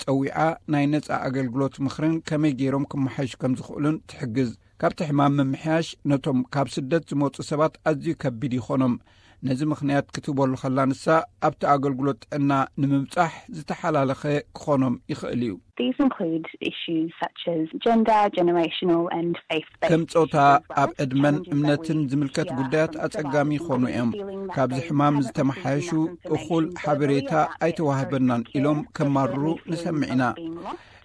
ጸዊዓ ናይ ነጻ ኣገልግሎት ምኽርን ከመይ ገይሮም ክመሓይሹ ከም ዝኽእሉን ትሕግዝ። ካብቲ ሕማም ምምሕያሽ ነቶም ካብ ስደት ዝመጹ ሰባት ኣዝዩ ከቢድ ይኾኖም። ነዚ ምኽንያት ክትህበሉ ከላ ንሳ፣ ኣብቲ ኣገልግሎት ጥዕና ንምብጻሕ ዝተሓላለኸ ክኾኖም ይኽእል እዩ። These include issues such as gender, generational and faith-based ከም ጾታ፣ ኣብ ዕድመን እምነትን ዝምልከት ጉዳያት ኣጸጋሚ ይኾኑ እዮም። ካብዚ ሕማም ዝተመሓየሹ እኹል ሓበሬታ ኣይተዋህበናን ኢሎም ከማርሩ ንሰምዕ ኢና።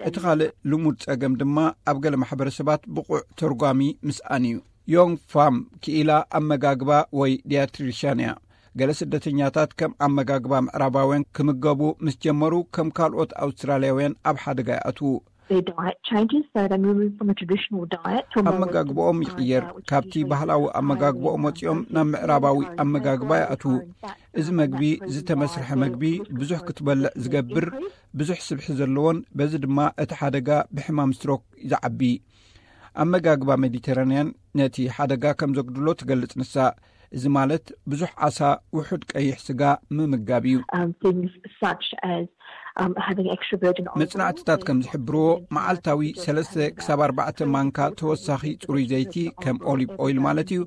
እቲ ካልእ ልሙድ ጸገም ድማ ኣብ ገለ ማሕበረሰባት ብቑዕ ተርጓሚ ምስኣን እዩ። ዮንግ ፋም ክኢላ ኣመጋግባ ወይ ዲያትሪሻን እያ። ገለ ስደተኛታት ከም ኣመጋግባ ምዕራባውያን ክምገቡ ምስ ጀመሩ፣ ከም ካልኦት ኣውስትራልያውያን ኣብ ሓደጋ ይኣትዉ። their diet changes, so they move from a traditional diet to a more Western style diet, which is usually, um, more focused on carbs and fats. ኣብ መጋግባኦም ይቕየር። ካብቲ ባህላዊ ኣመጋግባኦም ወጺኦም ናብ ምዕራባዊ ኣመጋግባ ይኣትዉ። እዚ መግቢ ዝተመስርሐ መግቢ ብዙሕ ክትበልዕ ዝገብር፣ ብዙሕ ስብሒ ዘለዎን በዚ ድማ እቲ ሓደጋ ብሕማም ስትሮክ ዝዓቢ። ኣመጋግባ ሜዲተራንያን ነቲ ሓደጋ ከም ዘጉድሎ ትገልጽ ንሳ። እዚ ማለት ብዙሕ ዓሳ፣ ውሑድ ቀይሕ ስጋ ምምጋብ እዩ። Um, things such as, um, having extra virgin olive oil. መጽናዕትታት ከም ዝሕብርዎ፣ መዓልታዊ ሰለስተ ክሳብ ኣርባዕተ ማንካ ተወሳኺ ጽሩይ ዘይቲ፣ ከም ኦሊቭ ኦይል ማለት እዩ፣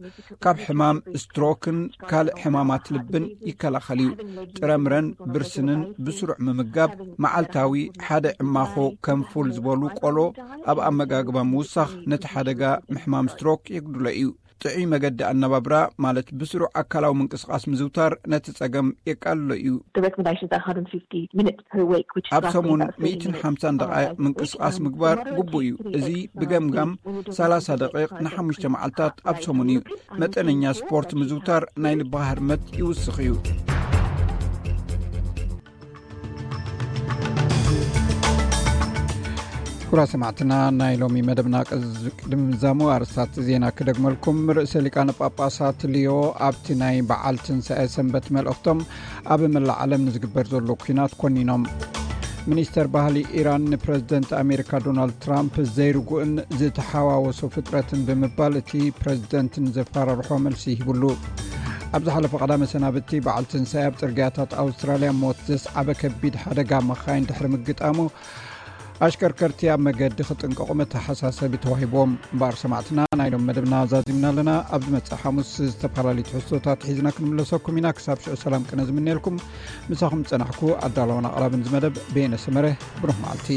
ካብ ሕማም ስትሮክን ካልእ ሕማማት ልብን ይከላኸል እዩ። ጥረምረን ብርስንን ብስሩዕ ምምጋብ፣ መዓልታዊ ሓደ ዕማኾ ከም ፉል ዝበሉ ቆሎ ኣብ ኣመጋግባ ምውሳኽ ነቲ ሓደጋ ምሕማም ስትሮክ የጉድሎ እዩ። ጥዑይ መገዲ ኣነባብራ ማለት ብስሩዕ ኣካላዊ ምንቅስቓስ ምዝውታር ነቲ ጸገም የቃልሎ እዩ። The recommendations are one hundred fifty minutes per week, which is ኣብ roughly ሰሙን about thirty ሚእትን ሓምሳን minutes on ደቓይቕ average, ምንቅስቓስ um, ምግባር moderate ግቡእ እዩ። activity እዚ exercise ብገምጋም is when you're doing ሰላሳ something ደቂቕ that's ንሓሙሽተ high መዓልታት ኣብ rate ሰሙን እዩ። aerobic, um, መጠነኛ exercise, ስፖርት that ምዝውታር ናይ ልቢ ሃርመት ይውስኽ እዩ። ክቡራት ሰማዕትና፣ ናይ ሎሚ መደብና ቅዝ-፣ ቅድሚ ምዛሙ ኣርእስታት ዜና ክደግመልኩም። ርእሰ ሊቃነ ጳጳሳት ሊዮ ኣብቲ ናይ በዓል ትንሳኤ ሰንበት መልእኽቶም፣ ኣብ መላእ ዓለም ንዝግበር ዘሎ ኲናት ኮኒኖም። ሚኒስተር ባህሊ ኢራን ንፕረዚደንት ኣሜሪካ ዶናልድ ትራምፕ ዘይርጉእን ዝተሓዋወሶ ፍጥረትን ብምባል፣ እቲ ፕረዚደንት ንዘፈራርሖ መልሲ ሂብሉ። ኣብ ዝሓለፈ ቀዳመ ሰናብቲ በዓል ትንሳኤ ኣብ ጽርግያታት ኣውስትራልያ ሞት ዘስዓበ ከቢድ ሓደጋ መኻይን ድሕሪ ምግጣሙ፣ ኣሽከርከርቲ ኣብ መገዲ ክጥንቀቑ መተሓሳሰቢ ተዋሂብዎም። እምበኣር ሰማዕትና፣ ናይ ሎም መደብና ዛዚምና ኣለና። ኣብ ዝመጽእ ሓሙስ ዝተፈላለዩ ትሕዝቶታት ሒዝና ክንምለሰኩም ኢና። ክሳብ ሽዑ ሰላም ቅነ ዝምነየልኩም፣ ምሳኹም ዝጸናሕኩ ኣዳለውን ኣቕራብን ዝመደብ በየነ ሰመረ። ብሩህ መዓልቲ።